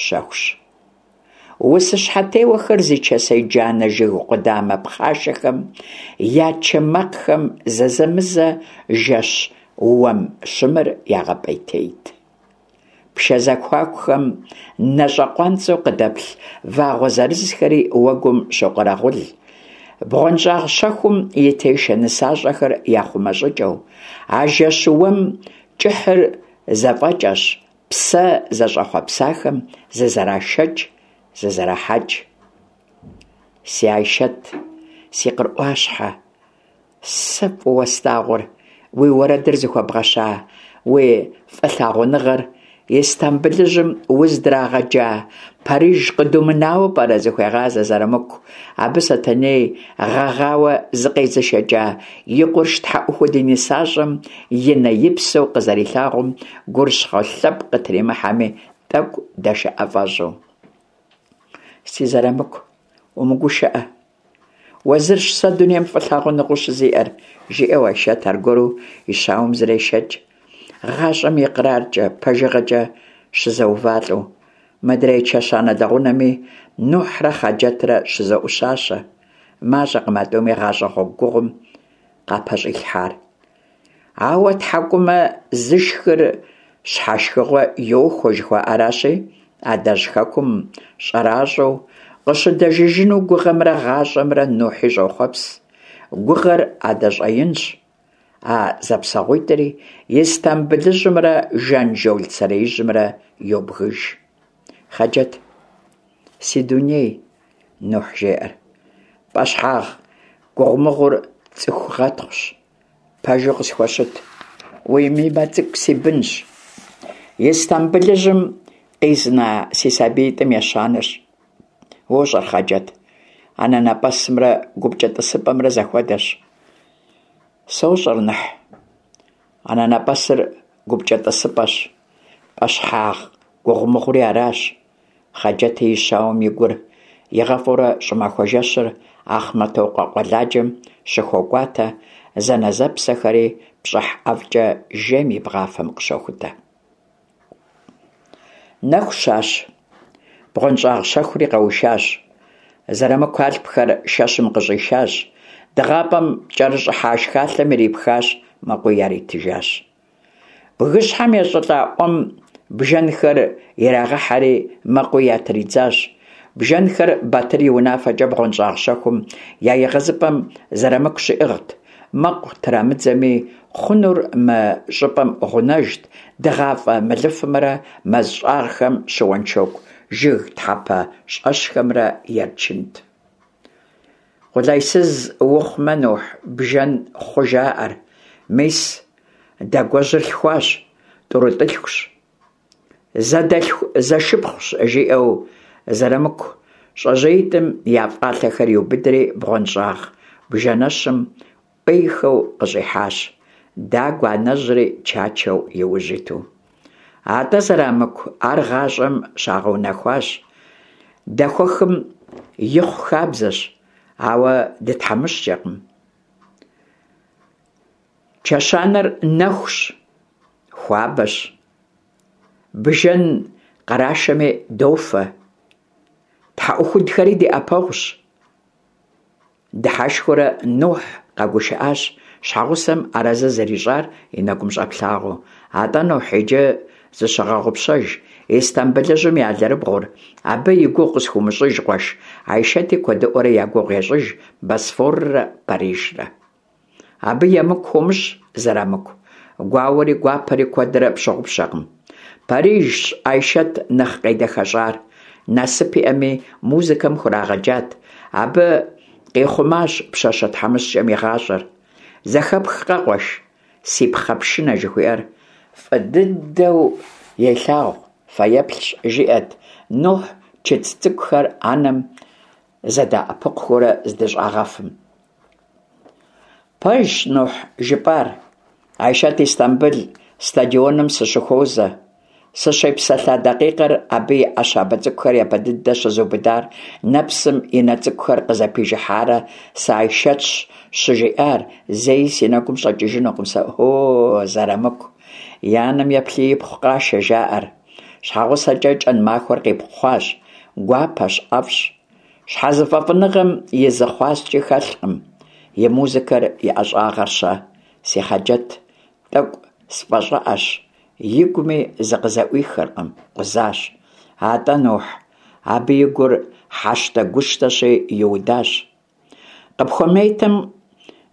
щэхущ. Усыщхьэтеуэхэр зи чэсей джанэ жыг къудамэ пхъашэхэм я чэ макъхэм зэзэмызэ жэщ уэм щымыр ягъэпӏейтейт. Пшэ зэхуакухэм нэщӏэкъуанцӏэу къыдэплъ вагъуэ зырызхэри уэгум щокъэрэгъул. Бгъуэнщӏагъ щэхум и тешэ нысащӏэхэр яхъумэ щӏыкӏэу, а жэщ уэм кӏыхьыр зэфӏэкӏэщ, псэ зэщӏэхъуэпсахэм зызэрашэкӏ, зызэрахьэкӏ. Си Айшэт, си къыр ӏуащхьэ, Сэ фӏыуэ слъагъур уи уэрэдыр зыхуэбгъэща уи фӏылъагъуныгъэр Истамбылыжьым уздрагъэджа Париж къыдумынауэ пӏэрэ, зыхуегъазэ Зэрамыку. Абы Сэтэней гъэгъауэ зыкъезышэкӏа и къурш тхьэӏухуд и нысащӏэм и нэ-и псэу къызэрилъагъум гурыщхъуэ лъэпкъ къытримыхьэми, тӏэкӏу дэшыӏэ фӏэщӏу. Си Зэрамыку, умыгушыӏэ. Уэ зырщ сэ дунейм фӏылъагъуныгъэу щызиӏэр, жиӏэу Айшэт аргуэру и щауэм зрешэкӏ. Гъащӏэм икъраркӏэ, пэжыгъэкӏэ щызэувалӏэу. Мыдрей чэщанэ лэгъунэми Нухьрэ Хъаджэтрэ щызэӏущащэ. Мащӏэкъым а тӏуми гъащӏэ гъуэгу гугъум къапэщӏилъхьар. Ауэ тхьэкӏумэ зышхыр щхьэшхыгъуэ йохуэ жыхуаӏэращи, адэжь хэкум щӏэращӏэу къыщыдэжыжыну гугъэмрэ гъащӏэмрэ Нухьи щӏохъуэпс. Гугъэр адэ щӏэинщ. А зэпсэгъуитӏри Истамбылыжьымрэ Жанжол сэреижьымрэ йобгыж. Хъаджэт, си дуней, Нухь жеӏэр. Пӏэщхьагъ гугъумыгъур цӏыху гъэтхъущ. Пэжу къысхуэщыт. Уи Мимэ цӏыкӏу си бынщ. Истамбылыжьым къизна си сабиитӏым ещанэщ. Уощӏэр, Хъаджэт, анэнэпӏэсымрэ гупкӏэ тӏысыпӏэмрэ зэхуэдэщ. Сощӏэр, Ныхь. Анэнэпӏэсыр гупкӏэ тӏысыпӏэщ. Пӏэщхьагъ гугъумыгъури аращ. Хъаджэти и щауэм и гур игъэфӏурэ щӏымахуэ жэщыр Ахъмэтокъуэ къуэладжэм щыхокӏуатэ, зэнэзэпсэхэри пщӏыхь ӏэфӏкӏэ жейм и бгъафэм къыщохутэ. Нэху щащ. Бгъуэнщӏагъ щэхури къэушащ. Зэрамыку алъпхэр шэщым къыщӏишащ, дыгъапӏэм кӏэрыщӏыхьа шхалъэм ирипхащ, мэкъуи яритыжащ. Бгыщхьэм ещӏылӏа ӏуэм бжэнхэр ирагъэхьэри, мэкъуи ятридзащ. Бжэнхэр Батыр и унафэкӏэ бгъуэнщӏагъ щэхум я егъэзыпӏэм Зэрамыку щиӏыгът. Мэкъу трамыдзэми, хъунур мы щӏыпӏэм гъунэжт, дыгъафӏэ мылыфымрэ мэз щӏагъхэм щыуэншоку жыг тхьэпэ щӏэщхэмрэ ерчынт. Къулайсыз ухъумэ, Нухь, бжэн хъу жаӏэр. Мис, Дэгуэжьыр лъхуащ, тӏурытӏылъхущ. Зэдэлъху зэшыпхъущ, жиӏэу Зэрамыку щӏэжьеитӏым я фӏалъэхэр иубыдри бгъуэнщӏагъ бжэнэщым ӏуейхэу къыщӏихьащ, Дагуэ анэжьри чачэу и ужь иту. Атӏэ, Зэрамыку, ар гъащӏэм щагъэунэхуащ, дэхуэхым ихъу хабзэщ, ауэ дытхьэмыщкӏэкъым. Чэщанэр нэхущ, хуабэщ. Бжэн кърашэми дофэ. Тхьэӏухудхэри ди ӏэпэгъущ. Дыхьэшхыурэ Нухь къэгушыӏащ, щхьэгъусэм арэзы зэрищӏар и нэгум щӏэплъагъуэу. Атӏэ, Нухь, иджы зыщыгъэгъупщэж, Истамбылыжьым и алэрыбгъур, абы и гугъу къысхуумыщӏыж, къуэш, Айшэти куэдыӏуэрэ я гугъу ещӏыж Босфоррэ Парижрэ. Абы емыкӏу хуомыщӏ, Зэрамыку. Гуауэри гуапэри куэдрэ пщыгъупщэкъым. Парижщ Айшэт нэхъ къедэхэщӏар. Насып иӏэми, музыкэм хурагъэджат. Абы къихъумащ пщащэ тхьэмыщкӏэм и гъащӏэр. Зэхэпхкъэ, къуэш, си пхъэ пшынэ жыхуиӏэр? Фӏы дыдэу елъагъу, фэеплъщ, жиӏэт Нухь чыцӏ цӏыкӏухэр анэм зэдэӏэпыкъухурэ здыщӏагъэфым. Пэжщ, Нухь, жыпӏар. Айшэт Истамбыл стадионым сыщыхуозэ. Сыщепсэлъа дакъикъэр абы и ӏэ щабэ цӏыкӏухэр япэ дыдэ щызубыдар, нэпсым и нэ цӏыкӏухэр къызэпижыхьарэ сы-Айшэтщ щыжиӏар, зэи си нэгум щӏэкӏыжынукъым сэ, о, Зэрамыку. И анэм еплъи ипхъу къашэ, жаӏэр. Щхьэгъусэкӏэ кӏэн махуэр къипхъуащ. Гуапэщ, ӏэфӏщ. Щхьэзыфӏэфӏыныгъэм и зы хъуаскӏи хэлъкъым. И музыкэр, и ӏэщӏагъэр-щэ? Си Хъаджэт тӏэкӏу сфӏэщӏыӏэщ, игуми зыкъызэӏуихыркъым, къузащ. Атӏэ, Нухь, абы и гур хьэщтэ-гущтэщи, иудащ. Къыпхуэмейтэм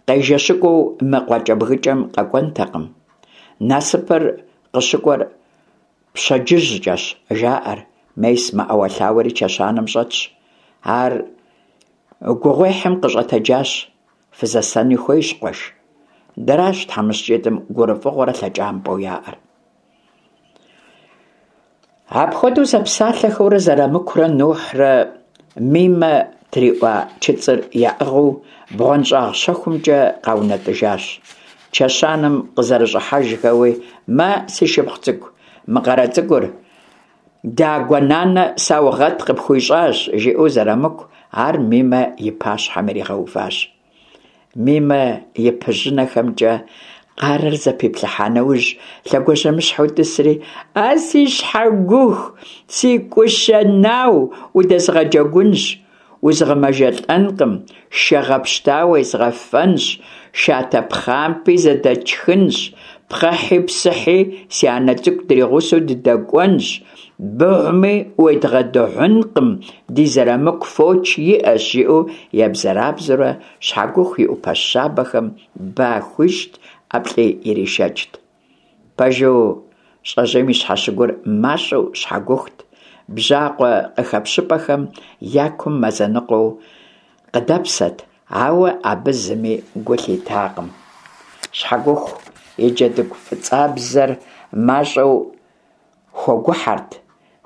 къежэщыкӏуэу мы къуакӏэбгыкӏэм къэкӏуэнтэкъым. Насыпыр къыщыкӏуэр Пщэдджыжькӏэщ, жаӏэр, мес мэӏэуэлъауэри чэщанэм щӏэтщ. Ар гугъуехьым къыщӏэтэджащ, фызэсэни хуейщ, къуэш. Дэращ тхьэмыщкӏитӏым гурыфӏыгъуэрэ лъэкӏампӏэу яӏэр. Апхуэдэу зэпсалъэхэурэ Зэрамыкурэ Нухьрэ Мимэ триӏуа чыцӏыр яӏыгъыу бгъуэнщӏагъ щэхумкӏэ къаунэтӏыжащ. Чэщанэм къызэрыщӏыхьэжхэуи, Мэ, си шыпхъу цӏыкӏу, мы къарэ цӏыкӏур, Дагуэ нанэ саугъэт къыпхуищӏащ, жиӏэу Зэрамыку ар Мимэ и пащхьэм иригъэуващ. Мимэ и пыжьынэхэмкӏэ къарэр зэпиплъыхьа нэужь, лъэгуажьэмыщхьэу тӏысри, А си щхьэгуху, си кӏущэ нау, удэзгъэджэгунщ, узгъэмэжэлӏэнкъым, шэ гъэпщта уезгъэфэнщ, шатэ пхъампӏи зэдэтшхынщ, пхъэхьи псыхьи си анэ цӏыкӏу дригъусэу дыдэкӏуэнщ, Быгъуми уедгъэдыгъункъым, ди Зэрамыку фоч иӏэщ, жиӏэу ебзэрабзэурэ Щхьэгуху и ӏупэ щабэхэм ба хуищӏт, ӏэплӏи иришэкӏт. Пэжу, щӏэжьейм и щхьэщыгур мащӏэу щхьэгухут, бжьакъуэ къыхэпщыпӏэхэм я кум мазэ ныкъуэу къыдэпсэт, ауэ абы зыми гу лъитакъым. Щхьэгуху и джэдыгу фӏыцӏабзэр мащӏэу Хуэгухьэрт,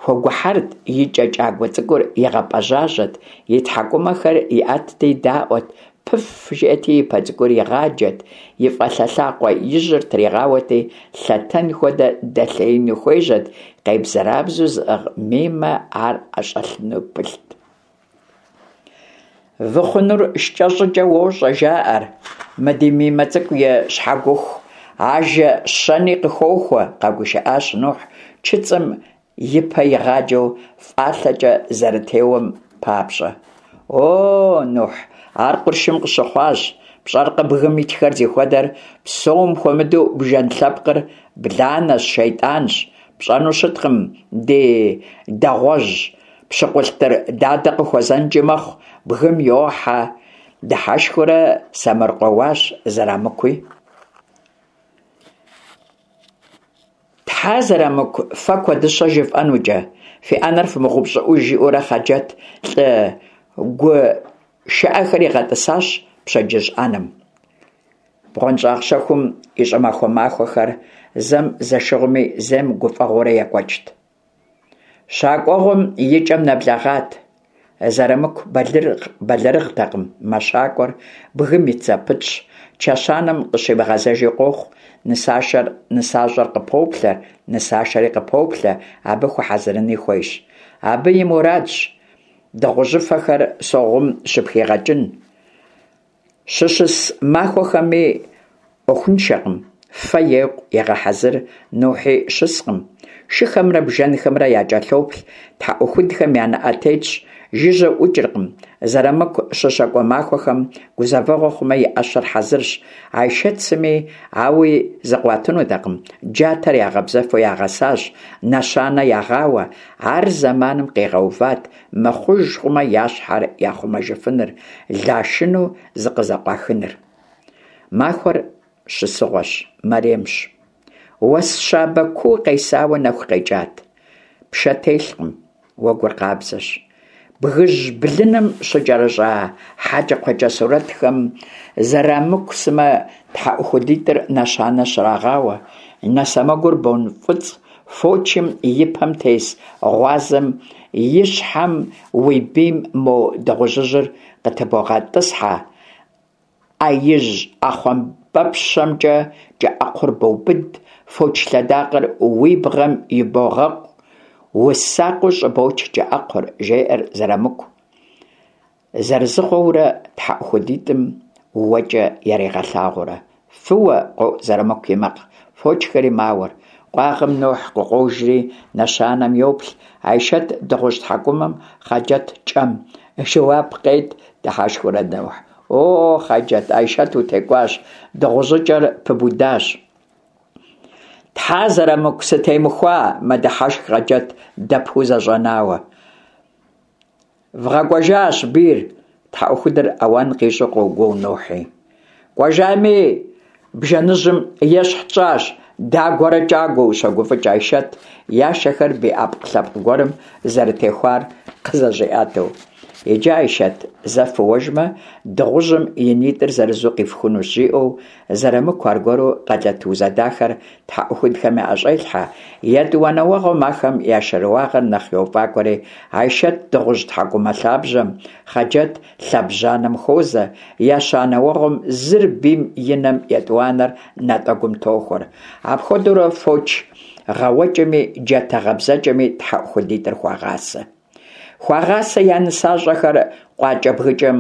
хуэгухьэрт, и кӏэ кӏагуэ цӏыкӏур игъэпӏэжьажьэт, и тхьэкӏумэхэр иӏэтти даӏуэт, пыф жиӏэти и пэ цӏыкӏур игъаджэт, и фӏалъэ лъакъуэ ижьыр тригъауэти, лъэтэн хуэдэ дэлъеину хуежьэт, къебзэрабзэу зыӏыгъ Мимэ ар ӏэщӏэлъыну пылът. Вы хъунур шкӏэ щӏыкӏэ уощӏэ, жаӏэр. Мы ди Мимэ цӏыкӏу и щхьэгуху ажэ щэни къыхохуэ, къэгушыӏащ Нухь чыцӏым и пэ игъаджэу фӏалъэкӏэ зэрытеуэм папщӏэ. О, Нухь, ар къуршым къыщыхъуащ. Пщӏэркъэ бгым итхэр зихуэдэр, псом хуэмыдэу бжэн лъэпкъыр бланэщ, шейтӏанщ. Пщӏэну щыткъым, ди дэгъуэжь пщыкъулътыр дадэ къыхуэзэнкӏи мэхъу, бгым йохьэ, дыхьэшхыурэ сэмэркъэуащ Зэрамыкуи. Тхьэ, Зэрамыку, фэ куэдыщэ жыфӏэнукӏэ, фи ӏэнэр фымыгъэупщӏыӏуж, жиӏэурэ Хъаджэт лӏы гу шыӏэхэр игъэтӏысащ пщэдджыжь ӏэнэм. Бгъуэнщӏагъ щэхум и щӏымахуэ махуэхэр зэм зэшыгъуэми, зэм гуфӏэгъуэурэ екӏуэкӏт. Щакӏуэгъуэм и кӏэм нэблэгъат. Зэрамыку бэлэрыгътэкъым, мэщакӏуэр бгым ит зэпытщ, чэщанэм къыщимыгъэзэжи къохъу, нысашэр нысащӏэр къыпоплъэ, нысашэри къыпоплъэ, абы хуэхьэзырыни хуейщ. Абы и мурадщ дыгъужьыфэхэр Согъум щыпхигъэкӏын. Щыщыс махуэхэми ӏуэхуншэкъым, фэ екъу, егъэхьэзыр, Нухьи щыскъым. Шыхэмрэ бжэнхэмрэ якӏэлъоплъ, тхьэӏухудхэм я нэӏэ тетщ, жыжьэу ӏукӏыркъым. Зэрамыку щыщэкӏуэ махуэхэм гузэвэгъуэ хъумэ и ӏэщэр хьэзырщ. Айшэт сыми ауи зыкъуатынутэкъым, джатэр ягъэбзэфу ягъэсащ, нэщанэ ягъауэ. Ар зэманым къигъэуват, Мыхъуж хъумэ, я щхьэр яхъумэжыфыныр, лашыну зыкъызэкъуахыныр. Махуэр щысыгъуэщ, мэремщ. Уэс щабэ куу къесауэ нэху къекӏат. Пшэ телъкъым, уэгур къабзэщ. Бгыжь блыным щыкӏэрыщӏа хьэкӏэкхъуэкӏэ сурэтхэм Зэрамыку сымэ тхьэӏухудитӏыр нэщанэ щрагъауэ, нэ сэмэгур бонфӏыцӏ Фочым и пэм тес гъуазэм и щхьэм уи бийм мо дыгъужьыжьыр къытыбогъэтӏысхьэ, ӏэ ижь ӏэхъуамбэпщэмкӏэ кӏэӏэкхъур боубыд, фоч лъэдакъэр уи бгъэм ибогъэкъу, усакъыу щӏыбоч кӏэӏэкхъур, жеӏэр Зэрамыку. Зэрызыгъуэурэ тхьэӏухудитӏым уэкӏэ яригъэлъагъуурэ, фыуэ къоӏу Зэрамыку и макъ, фочхэри мауэр. Къуагъым Нухь къыкъуожри, нэщанэм йоплъ, Айшэт дыгъужь тхьэкӏумэм, Хъаджэт кӏэм. Жэуап къет, дыхьэшхыурэ Нухь. О, Хъаджэт, Айшэт утекӏуащ, дыгъужьыкӏэр пыбудащ. Тхьэ, Зэрамыку, сытемыхуа, мэдыхьэшх Хъаджэт дэпу зэщӏэнауэ. Вгъэкӏуэжащ бийр, тхьэӏухудыр ауан къищӏу къогуо Нухьи. Кӏуэжами, бжэныжьым ещхь тщӏащ, дагуэрэ кӏагуэу, щогуфӏыкӏ Айшэт, я шэхэр бий ӏэпкълъэпкъ гуэрым зэрытехуар къызэщӏиӏэтэу. Иджы, Айшэт, зэ фыуэжмэ, дыгъужьым и нитӏыр зырызу къифхунущ, жиӏэу Зэрамыку аргуэру къэлэт узэдахэр тхьэӏухудхэм яӏэщӏелъхьэ, етӏуанэ уэгъуэм ахэм я шэрыуагъэр нэхъ йофӏакӏуэри, Айшэт дыгъужь тхьэкӏумэ лъабжьэм, Хъаджэт лъэбжьанэм хуозэ, ещанэ уэгъуэм зыр бийм и нэм, етӏуанэр натӏэгум тохуэр. Апхуэдэурэ фоч гъэуэкӏэми джатэ гъэбзэкӏэми тхьэӏухудитӏыр хуагъасэ. Хуагъасэ я нысащӏэхэр къуакӏэбгыкӏэм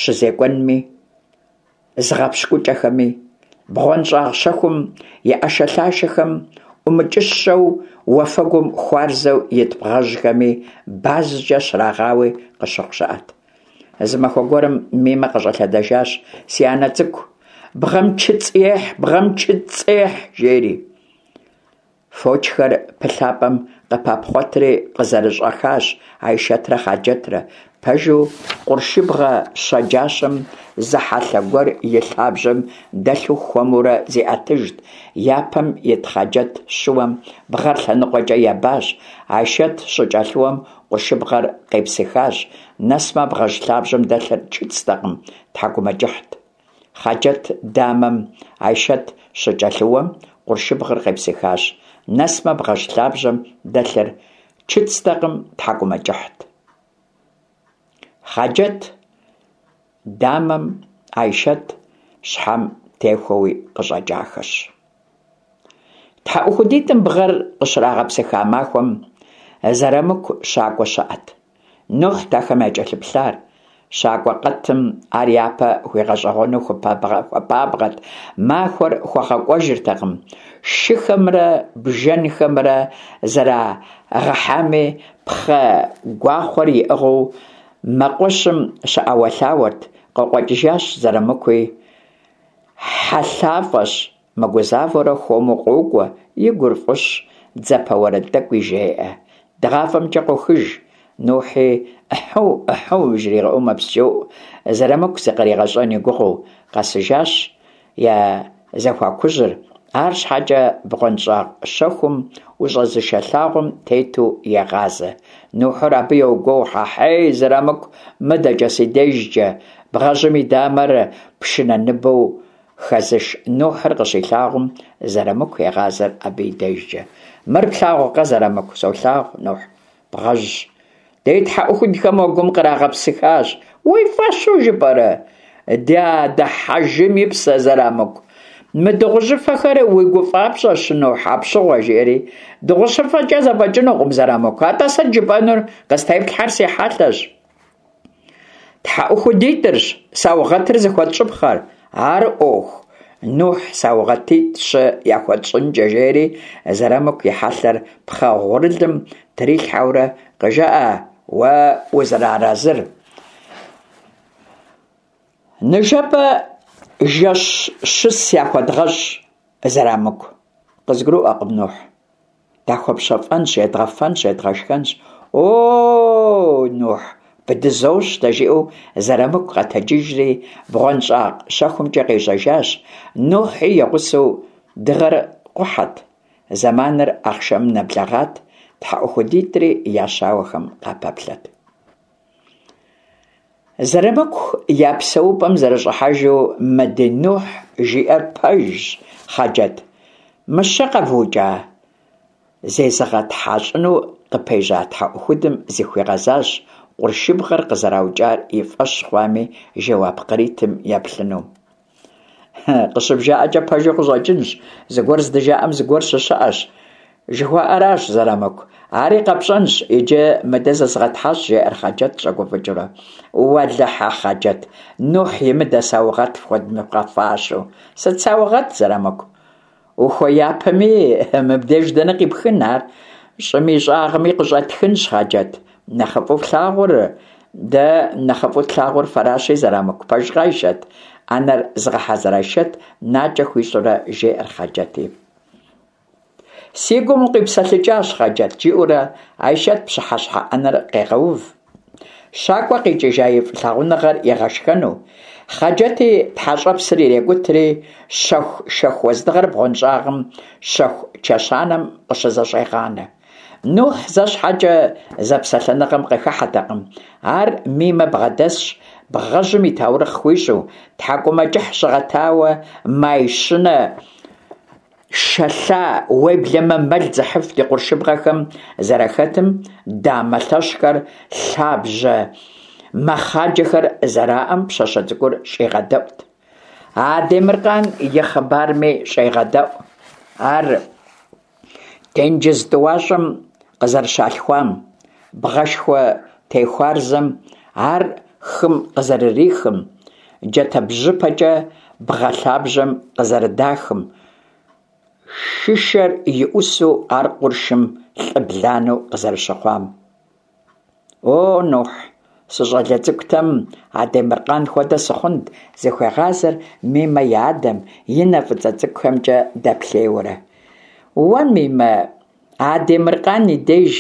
щызекӏуэнми. зыгъэпщкӏукӏэхэми, бгъуэнщӏагъ щэхум и ӏэшэлъашэхэм ӏумыкӏыщэу уафэгум хуарзэу ит бгъэжьхэми базкӏэ щрагъауи къыщыхъу щыӏэт. Зы махуэ гуэрым Мимэ къыщӏэлъэдэжащ, Си анэ цӏыкӏу, бгъэм чыцӏ ехь, бгъэм чыцӏ ехь, жери. Фочхэр пылъапӏэм къыпапхъуэтри къызэрыщӏэхащ Айшэтрэ Хъаджэтрэ. Пэжу, къуршыбгъэ щэджащэм зы хьэлъэ гуэр и лъабжьэм дэлъу хуэмурэ зиӏэтыжт. Япэм ит Хъаджэт щыуэм бгъэр лъэныкъуэкӏэ ебащ. Айшэт щыкӏэлъыуэм къуршыбгъэр къепсыхащ. Нэсмэ, бгъэжь лъабжьэм дэлъыр чыцӏтэкъым, тхьэкӏумэкӏыхьт. Хъаджэт дамэм Айшэт щыкӏэлъыуэм къуршыбгъэр къепсыхащ. Нэсмэ, бгъэжь лъабжьэм дэлъыр чыцӏтэкъым, тхьэкӏумэкӏыхьт. Хъаджэт дамэм Айшэт щхьэм техуэуи къыщӏэкӏахэщ. Тхьэӏухудитӏым бгъэр къыщрагъэпсыха махуэм Зэрамыку щакӏуэ щыӏэт. Нухьт ахэм якӏэлъыплъар. Щакӏуэ къэтым ар япэ хуигъэщӏэгъуэну хуэпабгъэт, махуэр хуэгъэкӏуэжыртэкъым. Шыхэмрэ бжэнхэмрэ зэрагъэхьами, пхъэ гуахъуэр иӏыгъыу мэкъуэщым щыӏэуэлъауэрт, къыкъуэкӏыжащ Зэрамыкуи. Хьэлъафӏэщ, мыгузавэурэ хуэму къокӏуэ, и гур фӏыщ, дзапэ уэрэд тӏэкӏуи жеӏэ. Дыгъафӏэмкӏэ къохыж. Нухьи ӏыхьу, ӏыхьу жригъэӏэу мэпсчэуӏу, Зэрамыку зыкъригъэщӏэн и гугъэу, къэсыжащ я зэхуакужьыр, арщхьэкӏэ бгъуэнщӏагъ щэхум ущӏэзышэ лъагъуэм тету егъазэ. Нухьыр абы йогуоу, Хьэхьей, Зэрамыку, мыдэкӏэ, си дежкӏэ! Бгъэжьым и дамэр пшынэ ныбэу хэзыш Нухьыр къыщилъагъум, Зэрамыку егъазэр абы и дежкӏэ. Мыр плъагъуркъэ, Зэрамыку? Солъагъу, Нухь. Бгъэжьщ. Ди тхьэӏухудхэм уэгум кърагъэпсыхащ. Уи фӏэщу жыпӏэрэ? Ди адэ Хьэжым и псэ, Зэрамыку. Мы дыгъужьыфэхэр уи гуфӏапщӏэщ, Нухь, апщыгъуэ, жиӏэри. Дыгъужьыфэкӏэ зэфӏэкӏынукъым, Зэрамыку. Атӏэ сыт жыпӏэнур? Къыстеплъхьэр си хьэлъэщ. Тхьэӏухудитӏырщ саугъэтыр зыхуэтщӏыпхъэр. Ар ӏуэху, Нухь саугъэтитӏ-щы яхуэтщӏынкӏэ, жери Зэрамыку и хьэлъэр пхъэ гъурылым трилъхьэурэ къыжыӏэ уэ узэрыарэзыр. Ныжэбэ жэщщыс яхуэдгъэщӏ, Зэрамыку. Къызгурыӏуэкъым, Нухь. Дахуэпщэфӏэнщ, едгъэфэнщ, едгъэшхэнщ. О, Нухь, бдызощтэ, жиӏэу Зэрамыку къэтэджыжри, бгъуэнщӏагъ щэхумкӏэ къежьэжащ. Нухьи и гъусэу дыгъэр къухьэт, зэманыр ахъшэмым нэблэгъат, тхьэӏухудитӏри я щауэхэм къапэплъэт. Зэрамыку я псэупӏэм зэрыщӏыхьэжу мы ди Нухь жиӏэр пэжщ, Хъаджэт. Мыщэ къэвукӏа? Зезыгъэтхьэщӏыну къыпежьа тхьэӏухудым зыхуигъэзащ, къуршыбгъэр къызэраукӏар и фӏэщ хъуами, жэуап къритым еплъыну. Къыщыбжаӏэкӏэ пэжу къыщӏэкӏынщ, зыгуэр здыжаӏэм зыгуэр щыщыӏэщ, жыхуаӏэращ, Зэрамыку. Ари къэпщӏэнщ, иджы мыдэ зызгъэтхьэщӏ, жеӏэр Хъаджэт щӏэгуфӏыкӏыурэ. Уэлэхьэ, Хъаджэт, Нухь имыдэ саугъэт фхуэдмыгъэфащэу. Сыт саугъэт, Зэрамыку? Ухуеяпэми, мыбдеж дэнэ къипхын ар? Щӏым и щӏагъми къыщӏэтхынщ, Хъаджэт. Нэхъыфӏу флъагъур, дэ нэхъыфӏу тлъагъур фэращи, Зэрамыку. Пэжкъэ, Айшэт? ӏэнэр зыгъэхьэзыр Айшэт накӏэ хуищӏурэ жеӏэр Хъаджэти. Си гум укъипсэлъыкӏащ, Хъаджэт, жиӏэурэ Айшэт пщыхьэщхьэ ӏэнэр къегъэув. Щакӏуэ къикӏыжа и фӏылъагъуныгъэр игъэшхэну, Хъаджэти тхьэщӏэпсыр ирекӏутри, щэху шэху уэздыгъэр бгъуэнщӏагъым щэху чэщанэм къыщызэщӏегъанэ. Нухь зэ щхьэкӏэ зэпсэлъэныгъэм къыхыхьэтэкъым. Ар Мимэ бгъэдэсщ, бгъэжьым и таурыхъ хуищӏу, тхьэкӏумэкӏыхь щыгъэтауэ, май щынэ Шэлъа, уеблэмэ мэл зыхьыф ди къуршыбгъэхэм зэрахэтым, дамэ лъэщхэр, лъабжьэ мэхъаджэхэр зэраӏэм пщащэ цӏыкӏур щӏигъэдэӏут. А Темыркъан и хъыбарми щӏегъэдэӏу. Ар тенджыз тӏуащӏэм къызэрыщалъхуам, бгъэшхуэ техуарзэм ар хым къызэрырихым, джатэбжьыпэкӏэ бгъэ лъабжьэм къызэрыдахым, шышэр и ӏусу ар къуршым лӏы бланэу къызэрыщыхъуам. О, Нухь, сыщӏалэ цӏыкӏутэм а Темыркъан хуэдэ сыхъунт, зыхуегъазэр Мимэ и адэм, и нэ фӏыцӏэ цӏыкӏухэмкӏэ дэплъейуэрэ. Уэ, Мимэ, а Темыркъан и деж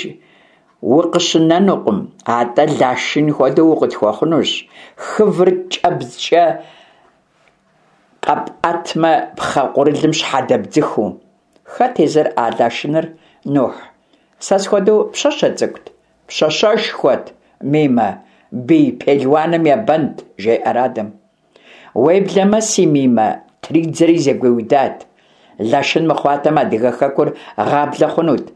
укъыщынэнукъым, атӏэ Лашын хуэдэу укъытхуэхъунущ, хывыр кӏэбдзкӏэ къэпӏэтмэ, пхъэ къурылым щхьэдэбдзыхыу. Хэт езыр а Лашыныр, Нухь? Сэ схуэдэу пщащэ цӏыкӏут? Пщащэшхуэт, Мимэ, бий пелуаным ебэнт, жеӏэр адэм. Уеблэмэ, си Мимэ тридзэри зэгуиудат. Лашын мыхъуатэм адыгэ хэкур гъаблэ хъунут.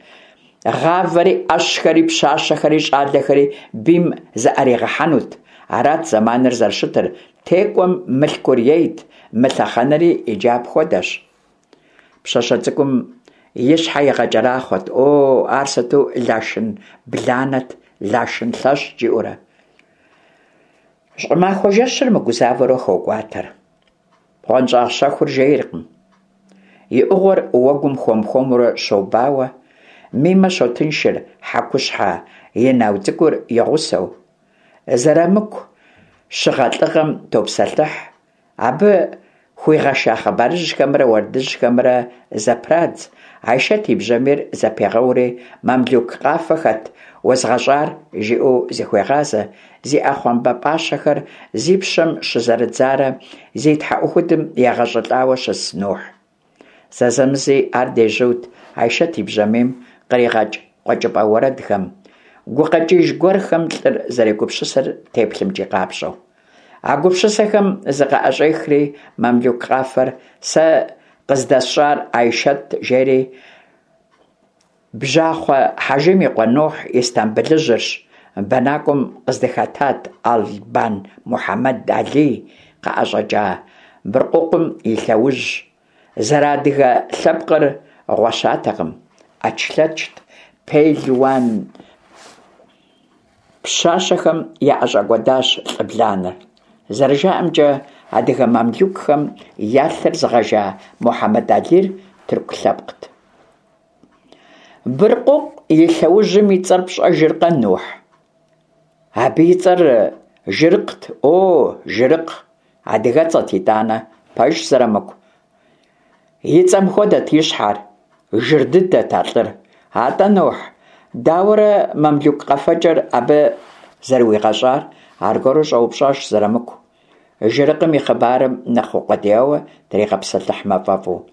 Гъавэри, ӏэщхэри, пщащэхэри, щӏалэхэри бийм зыӏэригъэхьэнут. Арат зэманыр зэрыщытыр, текӏуэм мылъкур ейт, мы лъэхъэнэри иджы апхуэдэщ. Пщащэ цӏыкӏум и щхьэ игъэкӏэрахъуэт, О, ар сыту Лашын бланэт, Лашын лъэщт, жиӏэурэ. Щӏымахуэ жэщыр мыгузавэурэ хокӏуатэр. Бгъуэнщӏагъ щэхур жейркъым. И ӏугъуэр уэгум хуэм-хуэмурэ щобауэ, Мимэ щотыншыр хьэкущхьэ инау цӏыкӏур и гъусэу. Зэрамыку щыгъэ лӏыгъэм топсэлъыхь, абы хуигъэша хъыбарыжьхэмрэ уэрэдыжьхэмрэ зэпрадз, Айшэт и бжьэмийр зэпегъэури, мамлюк къафэ хэт уэзгъэщӏар? жиӏэу зыхуегъазэ, зи ӏэхъуамбэ пӏащэхэр зи пщэм щызэрыдзарэ зи тхьэӏухудым егъэщӏылӏауэ щыс Нухь. Зэзэмызи ар дежьут Айшэт и бжьэмийм къригъэкӏ къуэкӏыпӏэ уэрэдхэм, гукъэкӏыж гуэрхэм лӏыр зэрегупсысыр теплъэмкӏи къапщӏэу. А гупсысэхэм зыкъыӏэщӏехри, мамлюк къафэр сэ къыздэсщӏар Айшэт жери, Бжьахъуэ Хьэжым и къуэ Нухь Истамбылыжьырщ, бэнакӏуэм къыздыхэтат Албан Мухьэмэд Алий къыӏэщӏэкӏа Быркъукъум и лъэужь. Зэрыадыгэ лъэпкъыр гъуэщатэкъым, ӏэчлъэчт, пелуан пщащэхэм яӏэщӏэкӏуэдащ лӏы бланэр. Зэрыжаӏэмкӏэ, адыгэ мамлюкхэм я лъыр зыгъэжа Мухьэмэд Алийр тырку лъэпкът. Быркъукъу и лъэужьым и цӏэр пщӏэжыркъэ, Нухь? Абы и цӏэр Жырыкът, о, Жырыкъ, адыгэцӏэт итӏанэ, пэжщ, Зэрамыку. И цӏэм хуэдэт и щхьэр, жыр дыдэт а лӏыр. Атӏэ, Нухь, дауэрэ мамлюк къэфэкӏэр абы зэрыуигъэщӏар? Аргуэру щӏэупщӏащ Зэрамыку. Жырыкъым и хъыбарым нэхъ укъуэдияуэ тригъэпсэлъыхьмэ фӏэфӏу.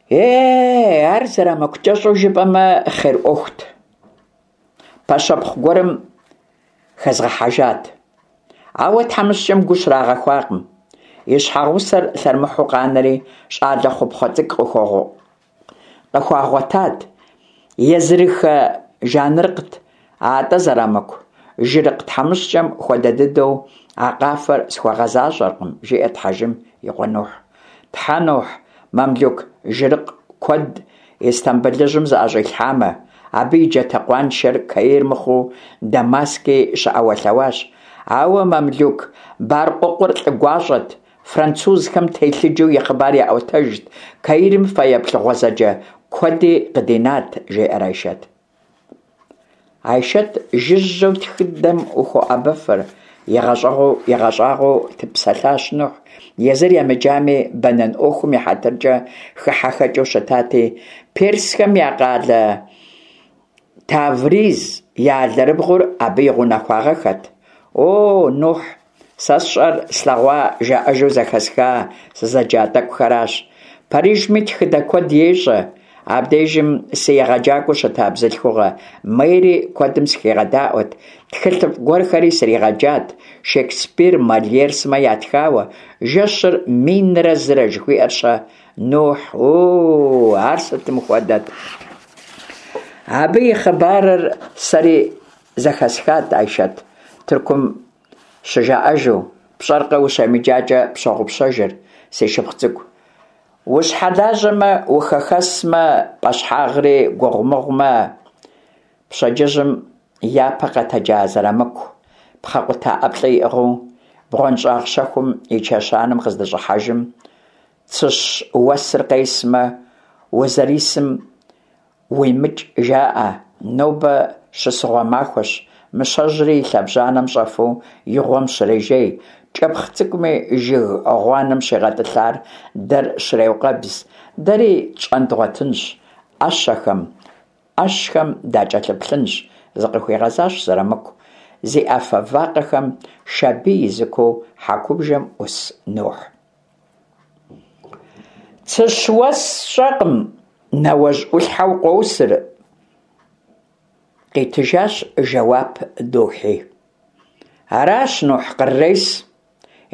Е, ар Зэрамыку кӏэщӏу жыпӏэмэ, хъер ӏуэхут. Пэщэпхъу гуэрым хэзгъэхьэжат. Ауэ тхьэмыщкӏэм гу щрагъэхуакъым. И щхьэгъусэр лъэрымыхьу къанэри, щӏалэ хъупхъэ цӏыкӏу къыхуагъуэтат. Езырыхэ Жаныркът, атӏэ Зэрамыку. Жырыкъ тхьэмыщкӏэм хуэдэ дыдэу а къафэр схуэгъэзащӏэркъым, жиӏэрт Хьэжым и къуэ Нухь. Тхьэ, Нухь, мамлюк Жырыкъ куэд Истамбылыжьым зыӏэщӏилъхьамэ, абы и джатэ къуаншэр Каир мыхъуу Дамаски щыӏэуэлъэуащ. Ауэ мамлюк Баркъукъур лӏы гуащӏэт, французхэм телъыджэу и хъыбар яӏуэтэжт, Каирым фэеплъ гъуэзэджэ куэди къыдинат, жеӏэр Айшэт. Айшэт жыжьэу тхыдэм ухоӏэбэфыр, игъэщӏагъуэу псэлъащ Нухь, езыр емыджами, бэнэн ӏуэхум и хьэтыркӏэ хыхьэхэкӏыу щытати, персхэм я къалэ Тавриз я алэрыбгъур абы и гъунэхуагъэххэт. О, Нухь, сэ сщӏэр слъэгъуа, жаӏэжу зэхэсха, сызэджа тӏэкӏухэращ. Парижми тхыдэ куэд ещӏэ. Абдежым си егъэджакӏуэу щыта бзылъхугъэ Мэри куэдым сыхигъэдаӏуэт, тхылъыфӏ гуэрхэри сригъэджат, Шекспир, Мольер сымэ ятхауэ, Жэщыр минрэ зырэ жыхуиӏэр-щэ? Нухь, о, ар сытым хуэдэт! Абы и хъыбарыр сэри зэхэсхат, Айшэт, Тыркум щыжаӏэжу, пщӏэркъэ ущемыджакӏэ пщогъупщэжыр, си шыпхъу цӏыкӏу. Ущхьэлажьэмэ, ухэхэсмэ, пӏэщхьагъри гугъумыгъумэ, пщэдджыжьым япэ къэтэджа Зэрамыку, пхъэ къута ӏэплӏэ иӏыгъыу, бгъуэнщӏагъ щэхум и чэщанэм къыздыщӏыхьэжым, цыщ уэсыр къесмэ, узэрисым Уимыкӏ, жаӏэ, нобэ щысыгъуэ махуэщ, мыщэжьри и лъэбжьанэм щӏэфу и гъуэм щрежей, кӏэпхъ цӏыкӏуми жыг гъуанэм щигъэтӏылъар дэр щреукъэбз, дэри тщӏэн дгъуэтынщ, ӏэщэхэм, ӏэщхэм дакӏэлъыплъынщ, зыкъыхуигъэзащ Зэрамыку, зи ӏэфэ вакъэхэм шабий изыкуу хьэкубжэм ӏус Нухь. Цыщ уэс сщӏэкъым, нэуэжь ӏулъхьэу къосыр, къитыжащ жэуап Нухьи. Аращ, Нухь, кърырес,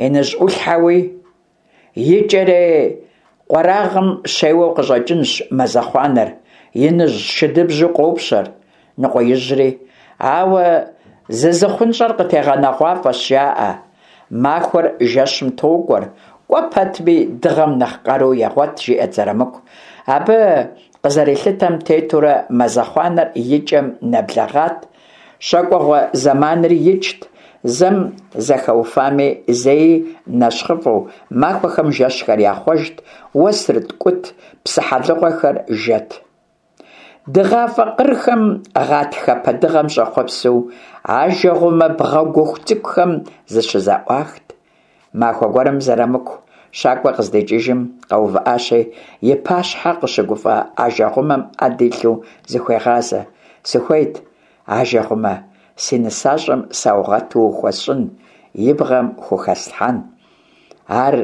иныжь ӏулъхьэуи, икӏэрей къуэрагъым щеуэу къыщӏэкӏынщ мазэхъуанэр, иныжь шыдыбжьу къопщэр, ныкъуеижьри. Ауэ зызыхъунщӏэр къытегъэнэгъуафӏэщ, жаӏэ. Махуэр жэщым токӏуэр, кӏуэ пэтми дыгъэм нэхъ къару егъуэт, жиӏэт Зэрамыку. Абы къызэрилъытэм тетурэ мазэхъуанэр и кӏэм нэблэгъат, щэкӏуэгъуэ зэманри икӏт. зэм зэхэуфами, зэи нэщхъыфӏэу, махуэхэм жэщхэр яхъуэжт, уэсыр ткӏут, псыхьэлыгъуэхэр жэт. Дыгъафӏэ къырхэм гъатхэпэ дыгъэм щӏэхъуэпсу, ажэгъуэмэ бгъэгуху цӏыкӏухэм зыщызэӏуахт. Махуэ гуэрым Зэрамыку щакӏуэ къыздикӏыжым къэувыӏащи, и пащхьэ къыщыгуфӏэ ажэгъуэмэм ӏэ дилъэу зыхуегъазэ: Сыхуейт, ажэгъуэмэ, си нысащӏэм саугъэту ухуэсщӏын, и бгъэм хухэслъхьэн. Ар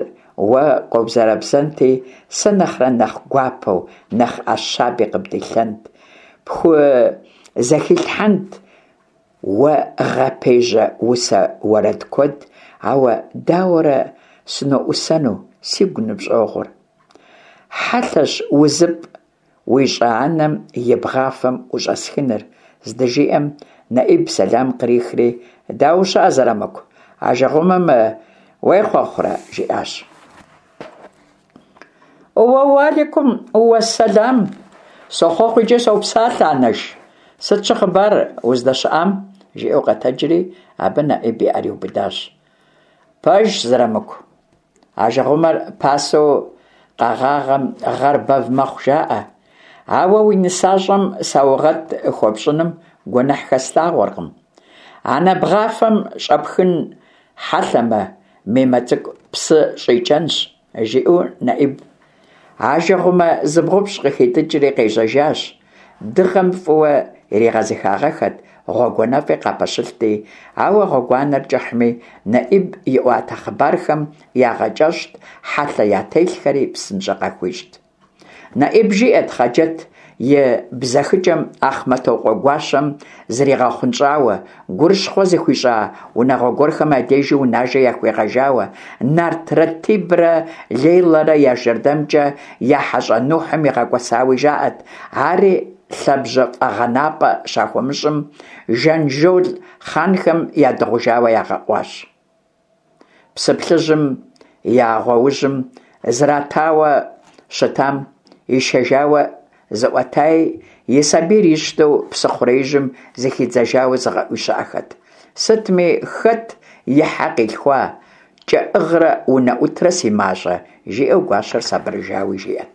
уэ къобзэрэбзэнти, сэ нэхърэ нэхъ гуапэу, нэхъ ӏэ щаби къыбдилъэнт, пхузэхилъхьэнт уэ гъэпежьэ усэ уэрэд куэд, ауэ дауэрэ сыноӏусэну, сигу ныпщӏогъур? Хьэлъэщ узыпӏ уищӏа анэм и бгъафэм ущӏэсхыныр, здыжиӏэм, Нэӏиб сэлам кърихри, Дауэ ущыӏэ, Зэрамыку, ажэгъуэмэм уехъуэхъурэ? жиӏащ. Уэ-уалейкум уэсэлам! Сохъуэхъу икӏи сопсалъэ, анэш. Сыт щыхъыбар уздэщыӏам? жиӏэу къэтэджри, абы Нэӏиб и ӏэр иубыдащ. Пэжщ, Зэрамыку. Ажэгъуэмэр пасэу къэгъагъэм гъэр бэв мэхъу, жаӏэ. Ауэ уи нысащӏэм саугъэт хуэпщӏыным гуэныхь хэслъагъуэркъым. Анэ бгъафэм щӏэпхын хьэлъэмэ, Мимэ цӏыкӏу псы щӏикӏэнщ, жиӏэу Нэӏиб ажэгъуэмэ зыбгъупщӏ къыхитӏыкӏри къежьэжащ. Дыгъэм фӏыуэ иригъэзыхагъэххэт, гъуэгуанэфӏи къапэщылъти, ауэ гъуэгуанэр кӏыхьми, Нэӏиб иӏуатэ хъыбархэм ягъэкӏэщӏт, хьэлъэ ятелъхэри псынщӏэ къахуищӏт. Нэӏиб жиӏэт Хъаджэт и бзэхыкӏэм Ахъмэтокъуэ гуащэм зригъэхъунщӏауэ, гурыщхъуэ зыхуищӏа унагъуэ гуэрхэм я дежи унажэ яхуигъэжауэ, нарт Ратибрэ Лейлэрэ я жэрдэмкӏэ я хьэщӏэ Нухьым игъэкӏуэсауи жаӏэт, ари лъэбжьэ фӏэгъэнапӏэ щахуэмыщӏым, Жанжол хъанхэм ядыгъужауэ ягъэӏуащ. Псы Плъыжьым я гъуэужьым зратауэ щытам ишэжауэ зыӏуэтаи, и сабийр ищтэу псыхъуреижьым зыхидзэжауэ зыгъэӏуи щыӏэхэт. Сытми, хэт и хьэ къилъхуа, кӏэӏыгърэ унэӏутрэ си мащӏэ, жиӏэу гуащэр сабырыжауи жиӏэт.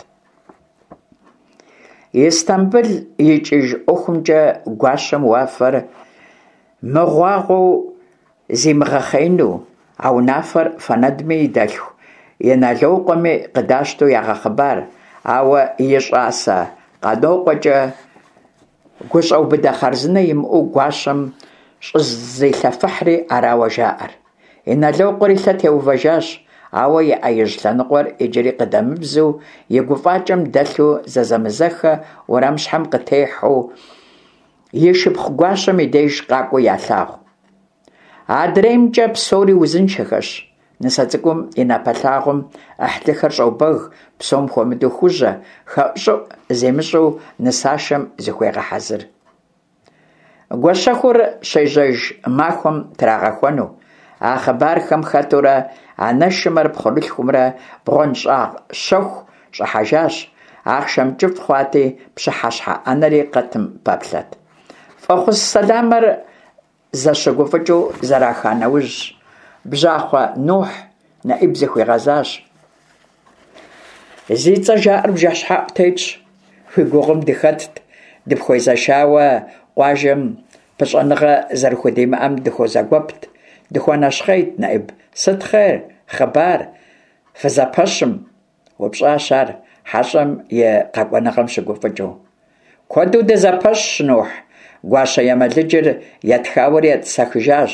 Истамбыл икӏыж ӏуэхумкӏэ гуащэм уафэр мыгъуагъуэу зимыгъэхъеину, а унафэр Фэнэдми и дэлъху Иналокъуэми къыдащтэу ягъэхъыбар, ауэ и щӏасэ Къанокъуэкӏэ гущӏэубыдэ хъарзынэ имыӏэу гуащэм щӏызилъэфыхьри арауэ жаӏэр. Иналокъуэр и лъэ теувэжащ, ауэ и ӏэ ижь лъэныкъуэр иджыри къыдэмыбзу, и гуфӏакӏэм дэлъу зэзэмызэххэ уэрамыщхьэм къытехьэу и шыпхъу гуащэм и деж къакӏуэу ялъагъу. Адреймкӏэ псори узыншэхэщ. Нысэ цӏыкӏум и напэлъагъум ӏыхьлыхэр щӏобэг, псом хуэмыдэу Хужьэ, хэӏущӏыӏу зимыщӏу нысашэм зыхуегъэхьэзыр. Гуащэхур щежьэж махуэм трагъэхуэну. А хъыбархэм хэтурэ анэшымрэ пхъурылъхумрэ бгъуэнщӏагъ щэху щӏыхьэжащ, ахъшэм кӏыфӏ хъуати, пщыхьэщхьэ ӏэнэри къэтым пэплъэт. Фӏэхъус сэламыр зэщыгуфӏыкӏыу зэраха нэужь, бжьахъуэ Нухь Нэӏиб зыхуигъэзащ. Зи цӏэ жаӏэр бжэщхьэӏу тетщ. Уи гугъум дыхэтт, дыпхуезэшауэ къуажэм пыщӏэныгъэ зэрыхудимыӏэм дыхуэзэгуэпт, дыхуэнэщхъейт, Нэӏиб. Сыт хъер, хъыбар, фызэпэщым? Упщӏащ ар, хьэщӏэм и къэкӏуэныгъэм щыгуфӏыкӏыу. Куэду дызэпэщщ, Нухь, гуащэ емэлыджыр етхауэри етӏысэхыжащ.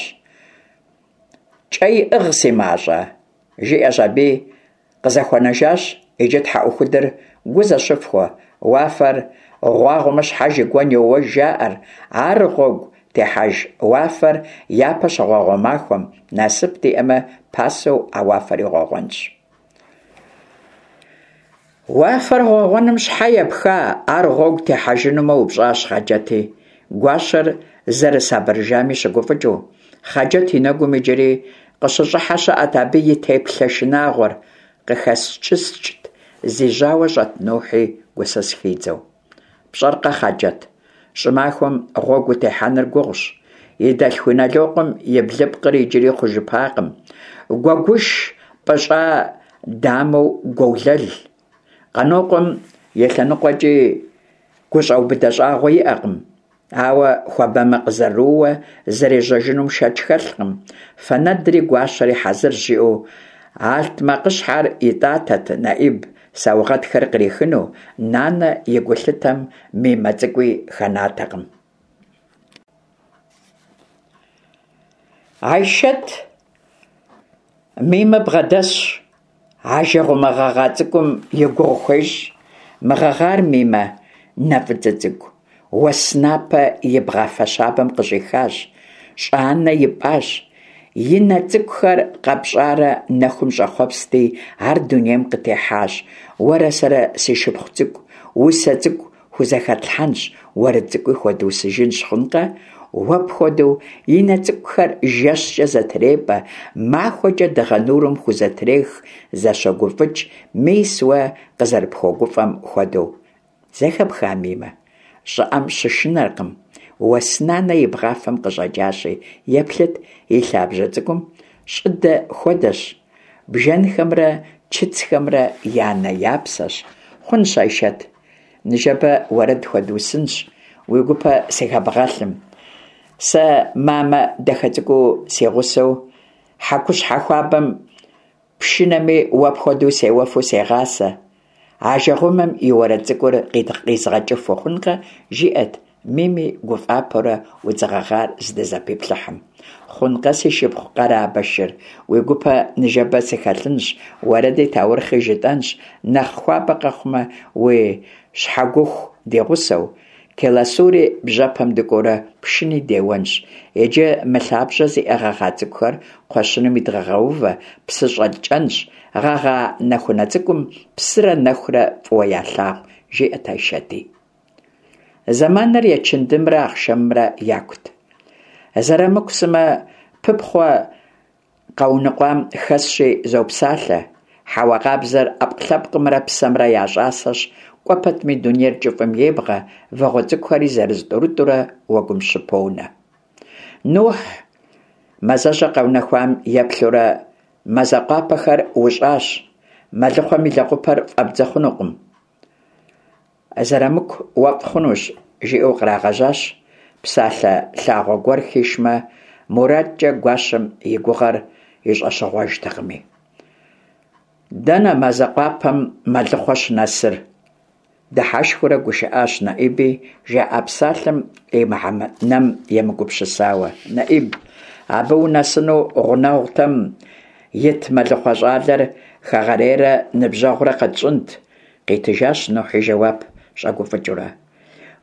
Кӏэ иӏыгъ си мащӏэ? Жиӏэщ аби, къызэхуэнэжащ, иджы тхьэӏухудыр гу зэщыфхуэ, уафэр гъуагъуэмэ щхьэж и гуэн йоуэж жаӏэр, ар гъуэгу техьэж уафэр япэ щыгъуэгъуэ махуэм, насып диӏэмэ, пасэу а уафэри гъуэгъуэнщ. Уафэр гъуэгъуэным щхьэ епха, ар гъуэгу техьэжынумэ, упщӏащ Хъаджэти, гуащэр зэрысабырыжами щыгуфӏыкӏыу. Хъаджэт и нэгум иджыри къыщыщӏыхьэ щыӏэт абы и теплъэ шынагъуэр, къыхэскӏыскӏт зи жьауэ щӏэт Нухьи гусыс хидзэу. Пщӏэркъэ, Хъаджэт, щӏымахуэм гъуэгу утехьэныр гугъущ. И дэлъху Инэлокъуэм и блыпкъыр иджыри хъужыпакъым. Гуэгуш пӏыщӏа дамэу гуолэл. Къанокъуэм и лъэныкъуэкӏи гущӏэубыдэ щӏагъуэ иӏэкъым. Ауэ хуабэмэ къызэрыууэ зэрежьэжынум шэч хэлъкъым. Фэнэдри гуащэри хьэзырщ, жиӏэу алътмакъыщхьэр итӏатэт Нэӏиб саугъэтхэр кърихыну, нанэ и гулъытэм Мимэ цӏыкӏуи хэнатэкъым. Айшэт Мимэ бгъэдэсщ, ажэгъуэмэ гъэгъа цӏыкӏум и гугъу хуещӏ. Мы гъэгъар, Мимэ, нэ фӏыцӏэ цӏыкӏу, уэс напэ и бгъафэ щабэм къыщӏихащ, щӏы-анэ ипӏащ. И нэ цӏыкӏухэр къэпщӏарэ нэхум щӏэхъуэпсти, ар дунейм къытехьащ. Уэрэ сэрэ, си шыпхъу цӏыкӏу, усэ цӏыкӏу хузэхэтлъхьэнщ, уэрэд цӏыкӏуи хуэдусыжынщ, хъункъэ? Уэ пхуэдэу и нэ цӏыкӏухэр жэщкӏэ зэтрепӏэ, махуэкӏэ дыгъэ нурым хузэтрех, зэщогуфӏыкӏ, мис уэ къызэрыпхуэгуфӏэм хуэдэу. Зэхэпха, Мимэ? Щӏыӏэм щышынэркъым. Уэс нанэ и бгъафэм къыщӏэкӏащи, еплъыт и лъабжьэ цӏыкӏум, щӏыдэ хуэдэщ. Бжэнхэмрэ чыцхэмрэ я нэ-я псэщ. Хъунщ, Айшэт. Ныжэбэ уэрэд хуэдусынщ, уи гупэ сыхэбгъэлъым. Сэ мамэ дахэ цӏыкӏуу си гъусэу хьэкущхьэ хуабэм пшынэми уэ пхуэдэу сеуэфу сегъасэ. Ажэгъуэмэм и уэрэд цӏыкӏур къизгъэкӏыфу хъункъэ, жиӏэт Мими гуфӏапэурэ удз гъэгъар здызэпиплъыхьым. Хъункъэ, си шыпхъу къэрабэ шыр, уи гупэ ныжэбэ сыхэлъынщ, уэрэди таурыхъи жытӏэнщ, нэхъ хуабэ къэхъумэ, уи щхьэгуху ди гъусэу, Келасури бжьэпэм дыкӏуэурэ пшыни деуэнщ. Иджы мы лъабжьэ зиӏэ гъэгъа цӏыкӏухэр кхъуэщыным идгъэгъэувэ, псы щӏэткӏэнщ, гъэгъа нэхунэ цӏыкӏум псырэ нэхурэ фӏыуэ ялъагъу, жиӏэт Айшэти. Зэманыр ечындымрэ ахъшэмымрэ якут. Зэрамыку сымэ пыпхъуэ къэуныкъуам хэсщи зопсалъэ. Хьэуа къабзэр ӏэпкълъэпкъымрэ псэмрэ я щӏасэщ, кӏуэ пэтми дунейр кӏыфӏым ебгъэ, вагъуэ цӏыкӏухэри зырыз-тӏурытӏурэ уэгум щыпонэ. Нухь мазэщӏэ къэунэхуам еплъурэ мазэ къуапэхэр ущӏащ, мэлыхъуэм и лэгъупэр фӏэбдзэ хъунукъым. Зэрамыку уэфӏ хъунущ, жиӏэу кърагъэжьащ, псалъэ лъагъуэ гуэр хишмэ, мурадкӏэ гуащэм и гугъэр и щӏэщыгъуэжтэкъыми. Дэнэ мазэ къуапэм мэлыхъуэ щынэсыр? Дыхьэшхыурэ гушыӏащ Нэӏиби, жаӏа псалъэм и мыхьэнэм емыгупсысауэ. Нэӏиб, абы унэсыну гъунэгъутэм ит мэлыхъуэ щӏалэр хэгъэрейрэ ныбжьэгъурэ къэтщӏынт, Къитыжащ Нухь и жэуап щӏэгуфӏыкӏыурэ.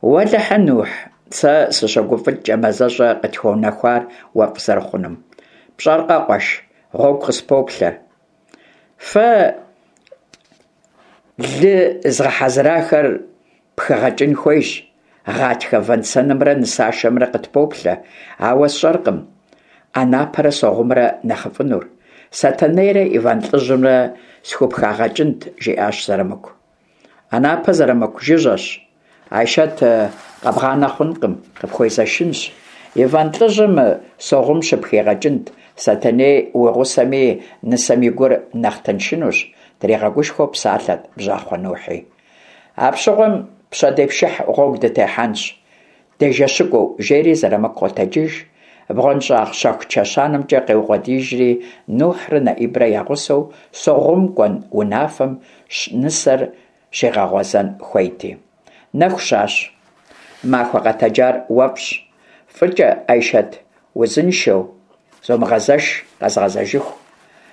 Уэлэхьэ, Нухь, сэ сыщогуфӏыкӏкӏэ мазэщӏэ къытхуэунэхуар уэфӏ зэрыхъунум. Пщӏэркъэ, къуэш, гъуэгу къыспоплъэр. Фэ лы згъэхьэзырахэр пхыгъэкӏын хуейщ. Гъатхэ вэн-сэнымрэ нысашэмрэ къытпоплъэ, ауэ сщӏэркъым Ӏэнапэрэ Согъумрэ нэхъыфӏынур. Сэтэнейрэ Иван лӏыжьымрэ схупхагъэкӏынт, жиӏащ Зэрамыку. Ӏэнапэ Зэрамыку жыжьэщ. Айшэт къэбгъанэ хъункъым, къыпхуезэшынщ. Иван лӏыжьым Согъум щыпхигъэкӏынт, Сэтэней уи гъусэми нысэм и гур нэхъ тыншынущ, тригъэгушхуэу псалъэт бжьахъуэ Нухьи. Апщыгъуэм пщэдей пшыхь гъуэгу дытехьэнщ, дежэщыкӏуэу, жери Зэрамыку къотэджыж, бгъуэнщӏагъ щэху чэщанэмкӏэ къеукъуэдиижри, Нухьрэ Нэӏибрэ я гъусэу Согъум кӏуэн унафэм нысэр щигъэгъуэзэн хуейти. Нэху щащ. Махуэ къэтэджар уэфӏщ. Фӏыкӏэ, Айшэт, узыншэу, зомыгъэзэш, къэзгъэзэжыху.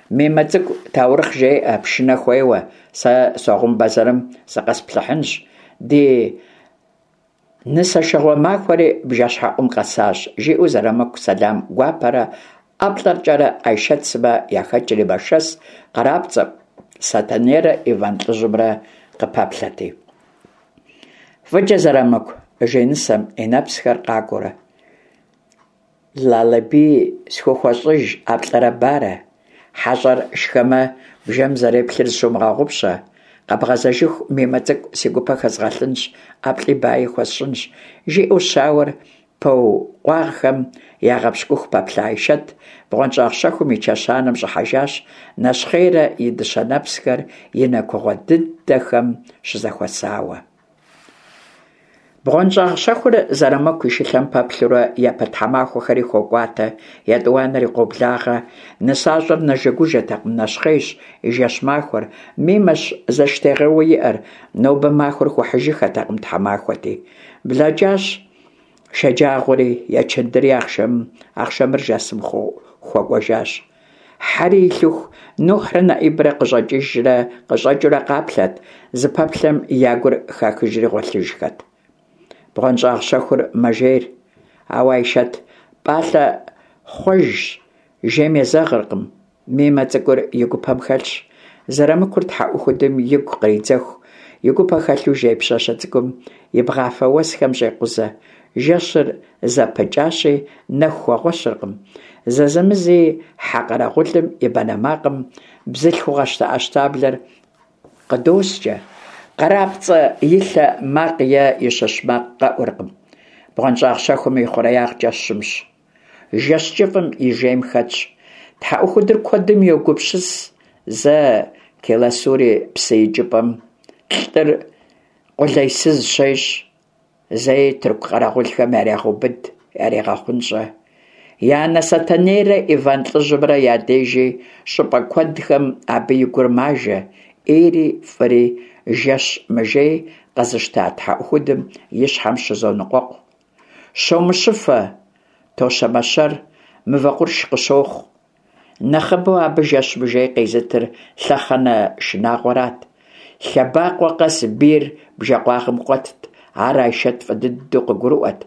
Мимэ цӏыкӏу таурыхъ жеӏэ, пшынэ хуеуэ, сэ Согъум бэзэрым зыкъэсплъыхьынщ. Ди нысэшыгъуэ махуэри бжэщхьэӏум къэсащ, жиӏэу Зэрамыку сэлам гуапэрэ ӏэплӏэркӏэрэ Айшэт сымэ яхэкӏри мэшэс, Къарапцӏэ Сэтэнейрэ Иван лӏыжьымрэ къыпэплъэти. Фӏыкӏэ Зэрамыку, жи нысэм, и нэпсхэр къакӏуэурэ. Лалэбий схухуэщӏыж ӏэплӏэрэ барэ. Хьэщӏэр шхэмэ, бжэм зэреплъыр зыщумыгъэгъупщэ. Къэбгъэзэжыху Мимэ цӏыкӏу си гупэ хэзгъэлъынщ, ӏэплӏи баи хуэсщӏынщ, жиӏэу щауэр. Пэу къуагъхэм ягъэпщкӏуху пэплъа Айшэт бгъуэнщӏагъ щэхум и чэщанэм щӏыхьэжащ, нэщхъейрэ и дыщэ нэпсхэр и нэ кугъуэ дыдэхэм щызэхуэсауэ. Бгъуэнщӏагъ щэхур Зэрамыку и шылъэм пэплъурэ япэ тхьэмахуэхэри хокӏуатэ, етӏуанэри къоблагъэ. Нысащӏэр нэжэгужэтэкъым, нэщхъейщ и жэщ-махуэр. Мимэщ зэштегъэууэ иӏэр, нобэ махуэр хуэхьыжыххэтэкъым тхьэмахуэти. Блэкӏащ шэджагъуэри, ечындыри ахъшэмыр жасым хуэкӏуэжащ. Хьэри илъыху, Нухьрэ Нэӏибрэ къыщӏэкӏыжрэ къыщӏэкӏыурэ къаплъэт, зыпэплъэм я гур хахыжри гъуэлъыжхэт. Бгъуэнщӏагъ щэхур мэжейр. Ауэ Айшэт пӏалъэ хъуэжщ, жейм езэгъыркъым. Мимэ цӏыкӏур и гупэм хэлъщ. Зэрамыкур тхьэӏухудым игу къридзэху, и гупэ хэлъу жей пщащэ цӏыкӏум и бгъафэ уэсхэм щӏекъузэ. Жэщыр зэпыкӏащи, нэху хуэгъуэщыркъым. Зэзэмызи хьэ къэрэгъулым и банэ макъым бзылъхугъэ щтэӏэщтаблэр къыдоскӏэ. Къэрапцӏэ и лъэ макъ е и щыщ макъ къэӏуркъым. Бгъуэнщӏагъ щэхум и хъуреягъкӏэ щымщ. Жэщ кӏыфӏым и жейм хэтщ. Тхьэӏухудыр куэдым йогупсыс, зэ Келасури псы икӏыпӏэм лӏыр къулейсыз щещӏ, зэи тырку къэрэгъулхэм ярегъэубыд, ярегъэхъунщӏэ. И анэ Сэтэнейрэ Иван лӏыжьымрэ я дежи щӏыпӏэ куэдхэм абы и гур мажэ, ӏейри фӏыри жэщ мыжей къэзыщта тхьэӏухудым и щхьэм щызоныкъуэкъу. Щомыщыфэ, тощэмэщэр, мывэ къурш къыщохъу. Нэхъыбэу абы жэщ мыжей къезытыр лъэхъэнэ шынагъуэрат. Лъэбакъуэ къэс бийр бжэкъуагъым къуэтт, ар Айшэт фӏы дыдэу къыгурыӏуэт.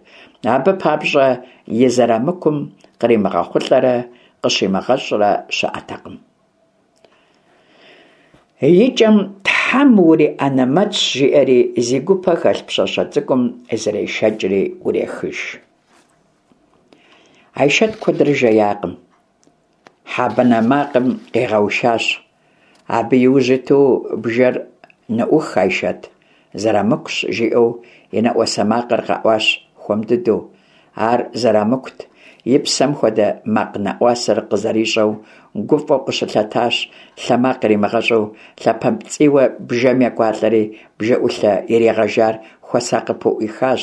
Абы папщӏэ и Зэрамыкум къримыгъэхъулӏэрэ къыщимыгъэщӏрэ щыӏэтэкъым. Икӏэм Тхьэм уриӏэнэмэтщ, жиӏэри зи гупэ хэлъ пщащэ цӏыкӏум зрешэкӏри ӏурехыж. Айшэт куэдрэ жеякъым. Хьэ банэ макъым къигъэушащ. Абы и ужь иту бжэр ныӏух, Айшэт, Зэрамыкущ, жиӏэу и нэӏуасэ макъыр къэӏуащ хуэм дыдэу. Ар Зэрамыкут, и псэм хуэдэ макъ нэӏуасэр къызэрищӏэу, гуфӏэу къыщылъэтащ, лъэ макъ иримыгъэщӏу, лъапэпцӏийуэ бжэм екӏуалӏэри, бжэӏулъэ иригъэжар хуэсакъыпэу ӏуихащ.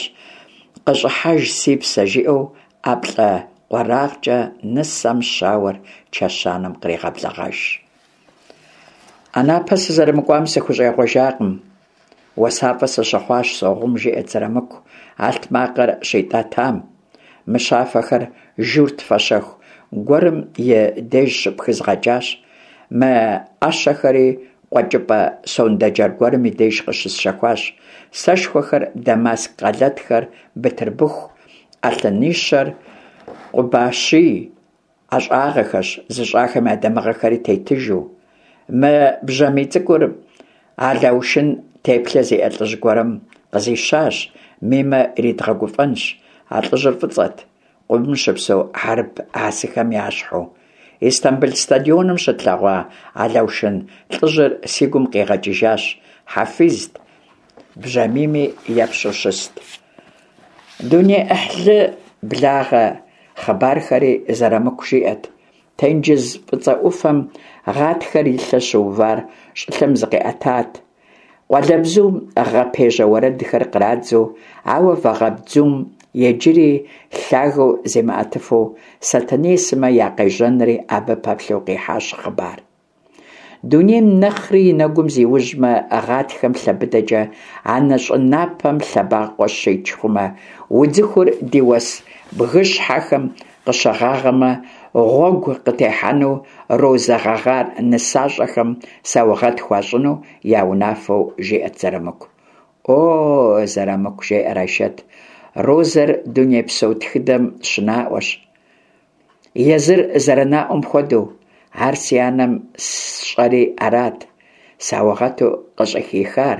Къыщӏыхьэж, си псэ, жиӏэу ӏэплӏэ къуэрагъкӏэ нысэм щауэр чэщанэм кърегъэблэгъэж. Анапэ сызэрымыкӏуам сыхущӏегъуэжакъым. Уэсафӏэ сыщыхъуащ, согъум, жиӏэрт Зэрамыку, алътмакъыр щитӏэтам. Мыщафэхэр журт фащэху гуэрым и деж щыпхызгъэкӏащ. Мы ӏэщэхэри къуэкӏыпӏэ сондэджэр гуэрым и деж къыщысщэхуащ. Сэшхуэхэр, дамаск къалэтхэр, бытырбыху, ӏэлъынищэр, Къубащий ӏэщӏагъэхэщ, зыщӏахэм я дамыгъэхэри тетыжу. Мы бжьамий цӏыкӏур Алаушын теплъэ зиӏэ лӏыжь гуэрым къызищащ, Мимэ иридгъэгуфӏэнщ. А лӏыжьыр фӏыцӏэт, къумым щыпсэу хьэрып асыхэм ящхьу. Истамбыл стадионым щытлъэгъуа Алаушын лӏыжьыр си гум къигъэкӏыжащ, хьэфизт, бжьамийми епщэу щыст. Дуней ӏыхьлы благъэ хъыбархэри Зэрамыку жиӏэт. Тенджыз Фӏыцӏэ ӏуфэм гъатхэр и лъэ щыувар щӏылъэм зыкъиӏэтат. Къуалэбзум гъэ пежьэ уэрэдхэр кърадзэу, ауэ вагъэбдзум иджыри лъагэу зимыӏэтыфу Сэтэней сымэ я къежьэнри абы пэплъэу къихьащ хъыбар. Дунейм нэхъри и нэгум зиужьмэ, гъатхэм лъэ быдэкӏэ анэ щӏы напэм лъэбакъуэ щич хъумэ, удзыхур ди уэс бгыщхьэхэм къыщыгъагъэмэ, гъуэгу къытехьэну розэ гъэгъар нысащӏэхэм саугъэт хуащӏыну я унафэу жиӏэт Зэрамыку. О, Зэрамыку, жеӏэр Айшэт, розэр дунейпсо тхыдэм щынаӏуэщ. Езыр зэрынаӏуэм хуэдэу, ар си анэм сщӏэри арат, саугъэту къыщӏыхихар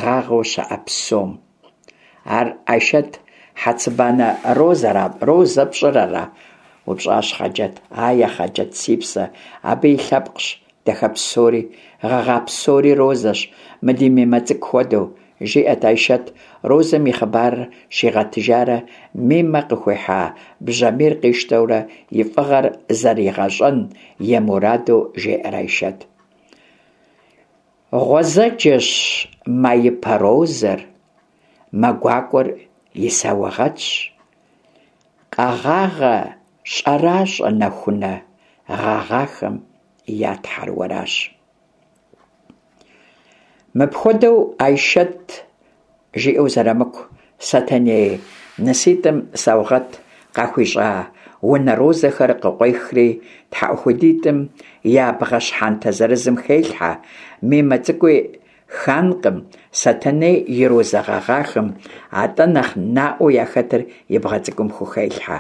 гъагъэу щыӏэ псом. Ар Айшэт хьэцыбанэ розэра, розэ пщӏыр ара? упщӏащ Хъаджэт. Ае, Хъаджэт, си псэ, абы и лъэпкъщ дахэ псори, гъэгъа псори розэщ, мы ди Мимэ цӏыкӏу хуэдэу. жиӏэт Айшэт, розэм и хъыбарыр щигъэтыжарэ Мимэ къыхуихьа бжьамийр къищтэурэ и фӏыгъэр зэригъэщӏэн и мураду жеӏэр Айшэт. Гъуэзэджэщ маипэ розэр, мэ гуакӏуэр и саугъэтщ. Къэгъагъэ щӏэращӏэ нэхунэ гъэгъахэм я тхьэр уэращ. Мыпхуэдэу Айшэт жиӏэу Зэрамыку Сэтэней ныситӏым саугъэт къахуищӏа унэ розэхэр къыкъуехри, тхьэӏухудитӏым я бгъэ щхьэнтэ зырызым хелъхьэ, Мимэ цӏыкӏуи ханкъым Сэтэней и розэ гъэгъахэм, атӏэ нэхъ наӏуэу яхэтыр и бгъэ цӏыкӏум хухелъхьэ.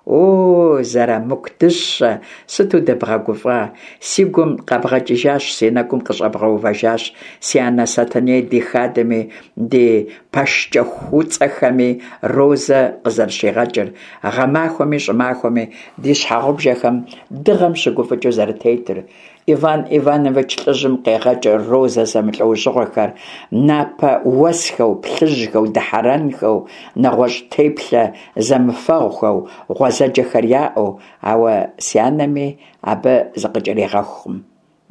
О, Зэрамыку дыщэ, сыту дыбгъэгуфӏа! Си гум къэбгъэкӏыжащ, си нэгум къыщӏэбгъэувэжащ си анэ Сэтэней ди хадэми, ди пэшкӏэхуцӏэхэми розэ къызэрыщигъэкӏыр, гъэмахуэми щӏымахуэми ди щхьэгъубжэхэм дыгъэм щыгуфӏыкӏыу зэрытетыр. Иван Иванович лӏыжьым къегъэкӏ розэ зэмылӏэужьыгъуэхэр, напэ уэсхэу, плъыжьхэу, дыхьэрэнхэу, нэгъуэщӏ теплъэ зэмыфэгъухэу, гъуэзэджэхэр яӏэу, ауэ си анэми абы зыкъыкӏэригъэхукъым.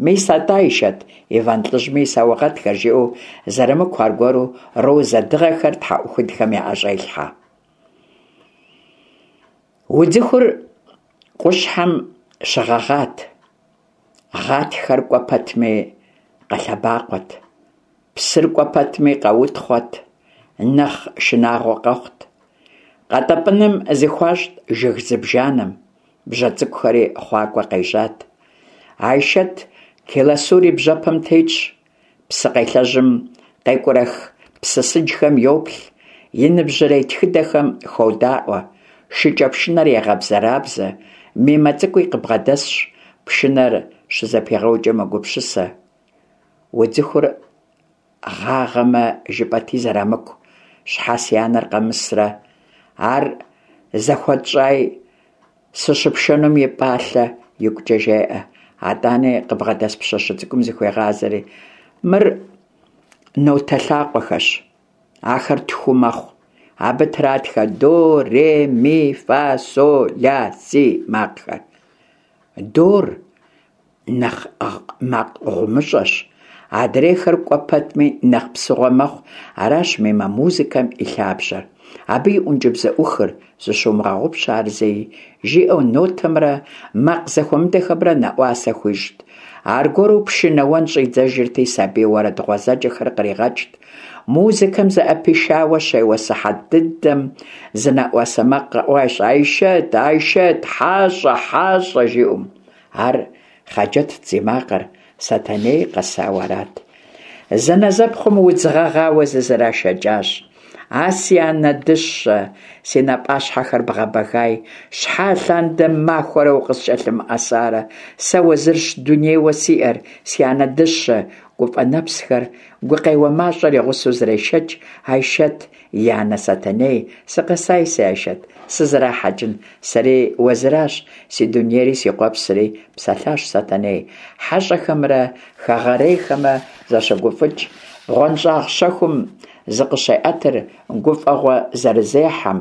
Мис атӏэ, Айшэт, Иван лӏыжьми и саугъэтхэр, жиӏэу Зэрамыку аргуэру розэ дыгъэхэр тхьэӏухудхэм яӏэщӏелъхьэ. Удзыхур къущхьэм щыгъэгъат, гъатхэр кӏуэ пэтми къэлъэбакъуэт, псыр кӏуэ пэтми къэутхъуэт, нэхъ шынагъуэ къэхъут. Къэтӏэпӏыным зыхуащӏт жыг зыбжанэм, бжьэ цӏыкӏухэри хъуакӏуэ къежьат. Айшэт Келасур и бжьэпэм тетщ, Псыкъелъэжьым къекӏурэх псысыджхэм йоплъ, и ныбжьырей тхыдэхэм ходаӏуэ, шыкӏэпшынэр егъэбзэрабзэ, Мимэ цӏыкӏуи къыбгъэдэсщ, пшынэр щызэпигъэукӏэ мэгупсысэ. Удзыхур гъагъэмэ, жыпӏэти Зэрамыку, щхьэ си анэр къэмысрэ? Ар зэхуэтщӏаи, Сыщыпшэнум и пӏалъэ, игукӏэ жеӏэ. Атӏани къыбгъэдэс пщащэ цӏыкӏум зыхуегъазэри, мыр нотэ лъакъуэхэщ. Ахэр тху мэхъу. Абы тратхэ до, ре, ми, фа, со, ля, си макъхэр. Дор нэхъ макъ гъумыщӏэщ, адрейхэр кӏуэ пэтми нэхъ псыгъуэ мэхъу, аращ Мимэ музыкэм и лъабжьэр. Абы и ӏункӏыбзэӏухыр, зыщумыгъэгъупщэ ар зэи, жиӏэу нотэмрэ макъ зэхуэмыдэхэмрэ нэӏуасэ хуищӏт. Аргуэру пшынэуэн щӏидзэжырти, сабий уэрэд гъуэзэджэхэр къригъэкӏт. Музыкэм зыӏэпишауэ щеуэ сыхьэт дыдэм зы нэӏуасэ макъ къэӏуащ, Айшэт, Айшэт, хьэщӏэ, хьэщӏэ, жиӏэу. Ар Хъаджэтт зи макъыр, Сэтэней къэсауэ арат. Зэнэзэпхъум удз гъэгъауэ зызэрашэкӏащ. А си анэ дыщэ, си напӏащхьэхэр бгъэбэгай, щхьэ алъандэм махуэрэ укъыскӏэлъымыӏэсарэ, сэ уэзырщ дунейуэ сиӏэр, си анэ дыщэ, гуфӏэ нэпсхэр, гукъеуэ мащӏэр и гъусэу зрешэкӏ Айшэт и анэ Сэтэней, сыкъэсай си Айшэт, сызэрахьэкӏын, сэри уэзыращ, си дунейри си къуэпсри, псэлъащ Сэтэней. Хьэщӏэхэмрэ хэгъэрейхэмрэ зэщогуфӏыкӏ, бгъуэнщӏагъ щэхум зыкъыщеӏэтыр гуфӏэгъуэ зэрызехьэм,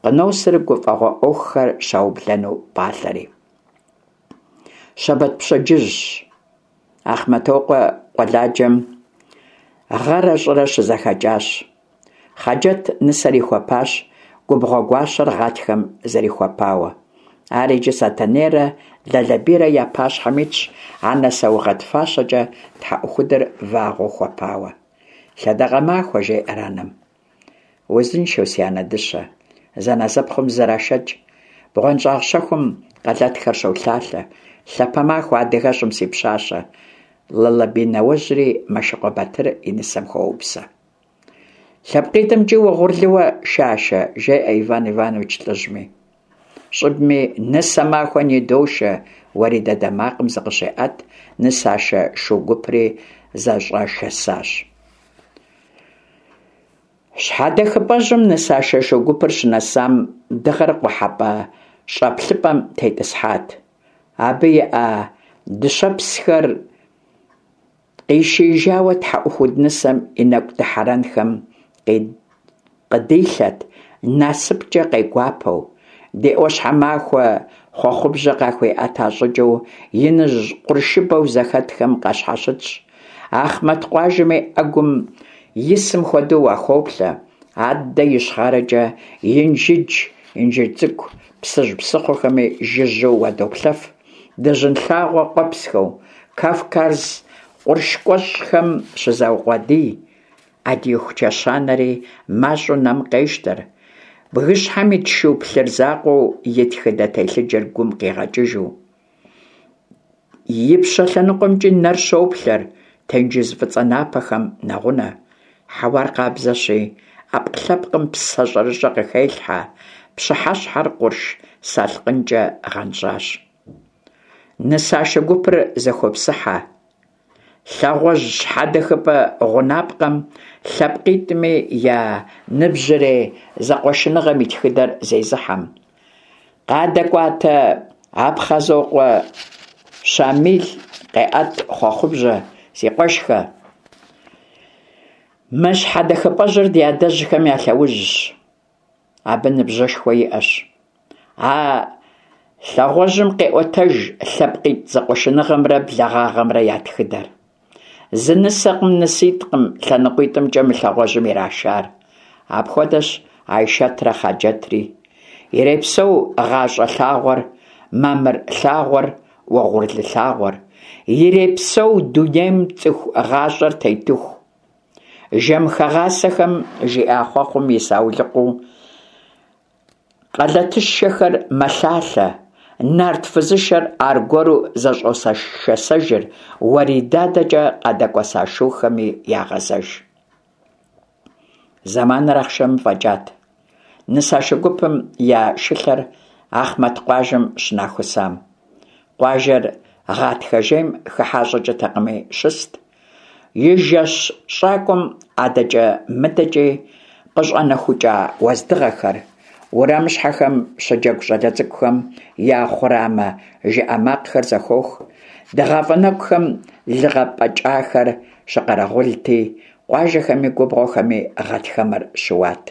къыносыр гуфӏэгъуэ ӏуэхухэр щаублэну пӏалъэри. Щэбэт пщэдджыжьщ. Ахъмэтокъуэ къуэладжэм гъэрэ щӏырэ щызэхэкӏащ. Хъаджэт нысэр ихуэпащ, губгъуэ гуащэр гъатхэм зэрихуэпауэ. Ар иджы Сэтэнейрэ Лалэбийрэ я пащхьэм итщ, анэ саугъэт фащэкӏэ тхьэӏухудыр вагъуэу хуэпауэ. Лъэдакъэ махуэ, жеӏэр анэм. Узыншэу, си анэ дыщэ, зэнэзэпхъум зрашэкӏ, бгъуэнщӏагъ щэхум къэлэтхэр щолъалъэ, лъапэ махуэ адыгэщӏым си пщащэ, Лалэбий нэуэжьри Мэшыкъуэ Батыр и нысэм хуоупсэ. Лъэпкъитӏымкӏи угъурлыуэ, Шашэ, жеӏэ Иван Иванович лӏыжьми. Щӏыбми нысэ махуэ ныдошэ, уэридэдэ макъым зыкъыщеӏэт, нысашэ шу гупри зэщӏэшэсащ. Щхьэдэхыпӏэжьым нысашэ шу гупыр щынэсам, дыгъэр къухьэпӏэ щӏэплъыпӏэм тетӏысхьат. Абы и ӏэ дыщэпсхэр. Къишиижауэ тхьэӏухуд нысэм и нэкӏу дыхьэрэнхэм къыдилъэт, насыпкӏэ къегуапэу. Ди ӏуащхьэмахуэ хъуэхъубжьэ къахуиӏэта щӏыкӏэу иныжь къуршыбэу зэхэтхэм къащхьэщытщ. Ахъмэт къуажэми ӏэгум исым хуэдэу уахоплъэ. Аддэ ищхъэрэкӏэ Инжыдж, Инжыдж Цӏыкӏу, Псыжь псыхъуэхэми жыжьэу уадоплъэф. Дыжьын лъагъуэ къуэпсхэу Кавказ къурш куэщӏхэм щызаукъуэдий. Ӏэдииху чэщанэри мащӏэу нэм къещтэр. Бгыщхьэм ит шу плъыр закъуэу и тхыдэ телъыджэр гум къигъэкӏыжу. Ипщэ лъэныкъуэмкӏи нэр щоплъэр, тенджыз фӏыцӏэ напэхэм нэгъунэ. Хьэуар къабзэщи, ӏэпкълъэпкъым псэ щӏэрыщӏэ къыхелъхьэ, пщыхьэщхьэр къурш салъкъынкӏэ гъэнщӏащ. Нысашэ гупыр зэхопсыхьэ. Лъагъуэжь щхьэдэхыпӏэ гъунапкъэм лъэпкъитӏми я ныбжьырей зэкъуэшыныгъэм и тхыдэр зезыхьэм. Къадэкӏуатэ Апхъазокъуэ Щамил къеӏэт хъуэхъубжьэ, си къуэшхэ. Мы щхьэдэхыпӏэжьыр ди адэжьхэм я лъэужьщ. Абы ныбжьышхуэ иӏэщ. А лъагъуэжьым къеӏуэтэж лъэпкъитӏ зэкъуэшыныгъэмрэ благъагъэмрэ я тхыдэр. Зы нысэкъым, ныситӏкъым лъэныкъуитӏымкӏэ мы лъагъуэжьым ирашар. Апхуэдэщ Айшэтрэ Хъаджэтри. Ирепсэу гъащӏэ лъагъуэр, мамыр лъагъуэр, уэгъурлы лъагъуэр. Ирепсэу дунейм цӏыху гъащӏэр тетыху. Жэмхэгъасэхэм жиӏа хъуэхъум и саулыкъуу къэлэтышэхэр мэлъалъэ, нарт фызышэр аргуэру зэщӏосэшэсэжыр, Уэрий дадэкӏэ къадэкӏуэса шухэми ягъэзэж. Зэманыр ахъшэмым фӏэкӏат. Нысашэ гупым я шылъэр Ахъмэт къуажэм щынахусам. Къуажэр гъатхэ жейм хыхьа щӏыкӏэтэкъыми щыст. И жэщ щӏакӏуэм адэкӏэ-мыдэкӏи къыщӏэнэхукӏа уэздыгъэхэр, уэрамыщхьэхэм щыджэгу щӏалэ цӏыкӏухэм я хъурамэ жыӏэ макъхэр зэхох. Дыгъафӏэ нэгухэм лы гъэпӏэкӏахэр щыкъэрэгъулти, къуажэхэми губгъуэхэми гъатхэмэр щыуат.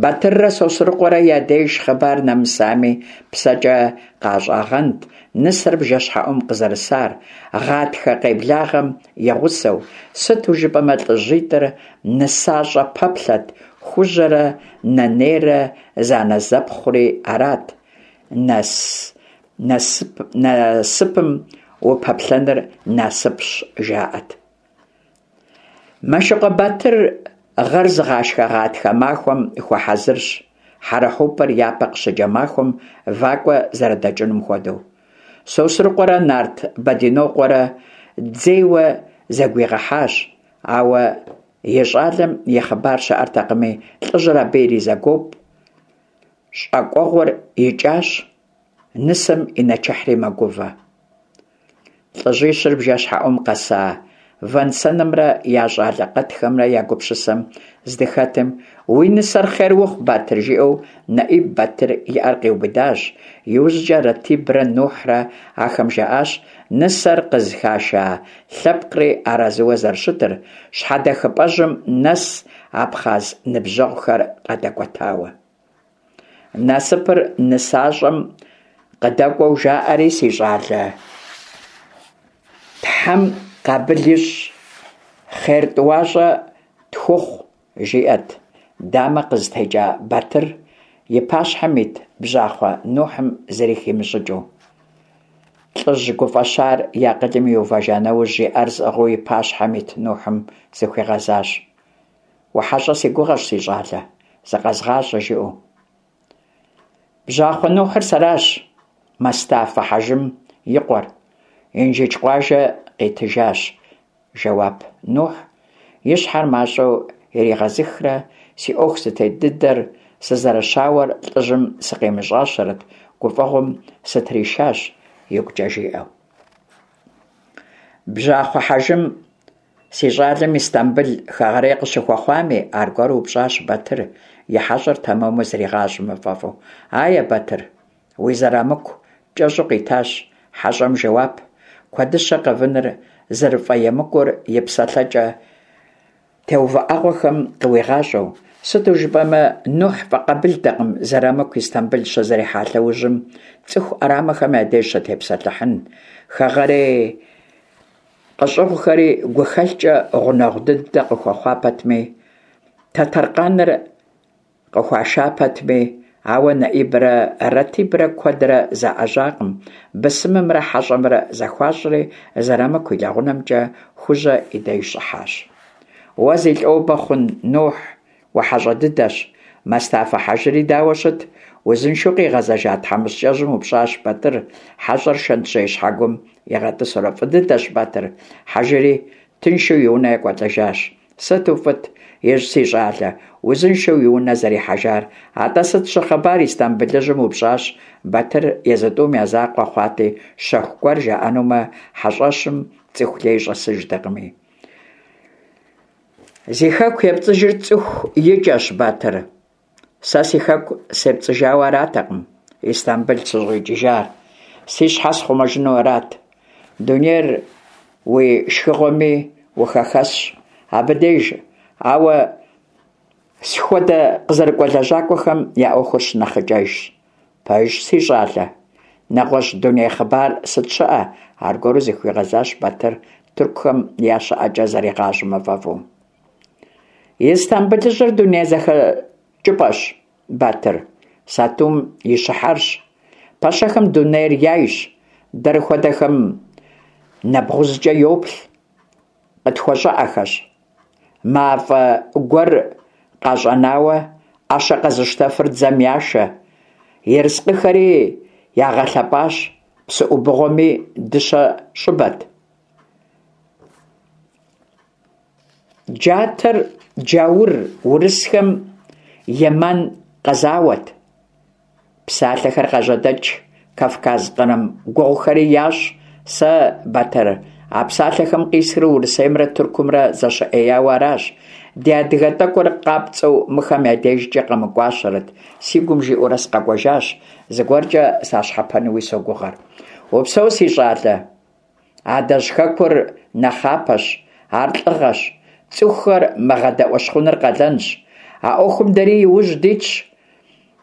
Батыррэ Сосрыкъуэрэ я деж хъыбар нэмысами, псэкӏэ къащӏагъэнт нысэр бжэщхьэӏум къызэрысар, гъатхэ къеблагъэм и гъусэу, сыту жыпӏэмэ лӏыжьитӏыр нысащӏэ пэплъэт, Хужьэрэ Нэнейрэ зэанэзэпхъури арат, насыпым упэплъэныр насыпщ, жаӏэт. Мэшыкъуэ Батыр гъэр зыгъашхэ гъатхэ махуэм хуэхьэзырщ, хьэрэхьупыр япэ къыщыкӏэ махуэм вакӏуэ зэрыдэкӏынум хуэдэу. Сосрыкъуэрэ нарт Бэдинокъуэрэ дзейуэ зэгуигъэхьащ, ауэ и щӏалэм и хъыбар щыӏэртэкъыми, лӏыжьыр абы иризэгуоп. Щӏакӏуэгъуэр икӏащ, нысэм и нэчыхьри мэгувэ. Лӏыжьищыр бжэщхьэӏум къэса вэн-сэнымрэ я щӏалэ къэтхэмрэ я гупсысэм здыхэтым, «Уи нысэр хъер ухъу, Батыр!» жиӏэу Нэӏиб Батыр и ӏэр къиубыдащ. Иужькӏэ Ратибрэ Нухьрэ ахэм жаӏащ нысэр къызыхаша лъэпкъри арэзыуэ зэрыщытыр, щхьэдэхыпӏэжьым нэс абхъаз ныбжьэгъухэр къадэкӏуэтауэ. Насыпыр нысащӏэм къыдэкӏуэу жаӏэри, си щӏалэ, Тхьэм къабыл ищӏ, хъер тӏуащӏэ тхухъу, жиӏэт дамэ къызытекӏа Батыр и пащхьэм ит бжьахъуэ Нухьым зыри химыщӏыкӏыу. Лӏыжь гуфӏэщар и акъылым иувэжа нэужь, и ӏэр зыӏыгъыу и пащхьэм ит Нухьым зыхуигъэзащ. Ухьэщӏэ си гугъэщ, си щӏалэ, зыкъэзгъащӏэ, жиӏэу. Бжьахъуэ Нухьыр сэращ, Мэстафэ Хьэжым и къуэр, Инжыдж къуажэ къитыжащ, жэуап Нухь, и щхьэр мащӏэу иригъэзыхрэ, си ӏуэху зытет дыдэр, сызэрыщауэр лӏыжьым сыкъимыщӏащэрэт, гуфӏэгъуэм сытришащ, игукӏэ жиӏэу. Бжьахъуэ Хьэжым Си щӏалэм Истамбыл хэгъэрей къыщыхуэхъуами, аргуэру упщӏащ Батыр, и хьэщӏэр тэмэму зригъащӏэмэ фӏэфӏу. Ае, Батыр, уи зэрамыку, кӏэщӏу къитащ хьэщӏэм жэуап. Куэдыщэ къэвыныр зэрыфӏэемыкӏур и псэлъэкӏэ теувыӏэгъуэхэм къыуигъащӏэу, сыту жыпӏэмэ, Нухь фӏэкъабылтэкъым Зэрамыку Истамбыл щызэрихьа лъэужьым цӏыху ӏэрамэхэм я деж щытепсэлъыхьын. Хэгъэрей къыщӏыгъухэри гухэлъкӏэ гъунэгъу дыдэ къыхуэхъуа пэтми, Тэтэркъаныр къыхуаша пэтми, ауэ Нэӏибрэ Ратибрэ куэдрэ заӏэжьакъым, бысымымрэ хьэщӏэмрэ зэхуащӏри, Зэрамыку и лэгъунэмкӏэ Хужьэ и деж щӏыхьащ. Уэ зи лӏобэ хъун, Нухь, ухьэщӏэ дыдэщ. Мэстафэ хьэжыри дауэ щыт? Узыншэу къигъэзэжа тхьэмыщкӏэжьым упщӏащ Батыр, хьэщӏэр шэнтжьей щхьэгум игъэтӏысурэ. Фӏы дыдэщ, Батыр, хьэжыри тыншу и унэ екӏуэлӏэжащ. Сыту фӏыт, ищӏ, си щӏалэ, узыншэу и унэ зэрихьэжар. Атӏэ сыт щыхъыбар Истамбылыжьым упщӏащ Батыр, езы тӏум я закъуэ хъуати, щэху гуэр жаӏэнумэ, хьэщӏэщым цӏыху лей щӏэсыжтэкъыми. Зи хэку епцӏыжыр цӏыху икӏэщ, Батыр. Сэ си хэку сепцӏыжауэ аратэкъым Истамбыл сыщӏикӏыжар, си щхьэ схъумэжыну арат. Дунейр уи шхыгъуэми ухэхэсщ абы деж, ауэ схуэдэ къызэрыкӏуэ лэжьакӏуэхэм я ӏуэхур щынэхъыкӏэжщ. Пэжщ, си щӏалэ. Нэгъуэщӏ дуней хъыбар сыт щыӏэ? Аргуэру зыхуигъэзащ Батыр тыркухэм я щыӏэкӏэ зэригъащӏэмэ фӏэфӏу. Истамбылыжьыр дуней зэхэкӏыпӏэщ, Батыр, сатум и щыхьэрщ. Пэщэхэм дунейр яйщ, дэр хуэдэхэм нэбгъузкӏэ йоплъ, къытхуэщӏыӏэхэщ. Мафӏэ гуэр къащӏэнауэ, ӏэщэ къэзыщтэфыр дзэм яшэ. Ерыскъыхэри ягъэлъэпӏащ, псы ӏубыгъуэми дыщэ щӏыбэт. Джатэр джаур урысхэм Еман къэзауэт. Псалъэхэр къажьэдэкӏ, Кавказ кърым гугъухэри ящӏ. Сэ, Батыр, а псалъэхэм къисхыр Урысеймрэ Тыркумрэ зэщыӏеяуэ аращ. Ди адыгэ тӏэкӏур къапцӏэу мыхэм я дежкӏэ къэмыкӏуащэрэт, си гум жиӏэурэ сыкъэкӏуэжащ, зыгуэркӏэ сащхьэпэнуи согугъэр. Упсэу, си щӏалэ! Адэжь хэкур нэхъапэщ, ар лӏыгъэщ, цӏыхухэр мыгъэдэӏуэщхъуныр къалэнщ. А ӏуэхум дэри иужь дитщ,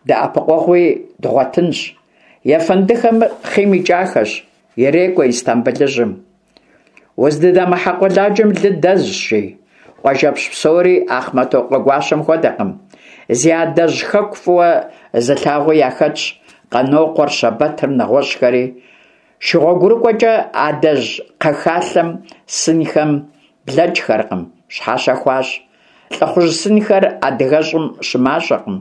дэӏэпыкъуэгъуи дгъуэтынщ. Ефэндыхэм хъийм икӏахэщ, ирекӏуэ Истамбылыжьым. Уздыдэмыхьэ къуэладжэм лы дэзщ, жи. Къуажэпщ псори Ахъмэтокъуэ гуащэм хуэдэкъым. Зи адэжь хэку фӏыуэ зылъагъуи яхэтщ Къанокъуэр, Щэбэтыр, нэгъуэщӏхэри. Шыгъуэгурыкӏуэкӏэ адэжь кхъэхалъэм сынхэм блэкӏхэркъым, щхьэщэ хуащӏ. Лӏыхъужь сынхэр адыгэщӏым щымащӏэкъым.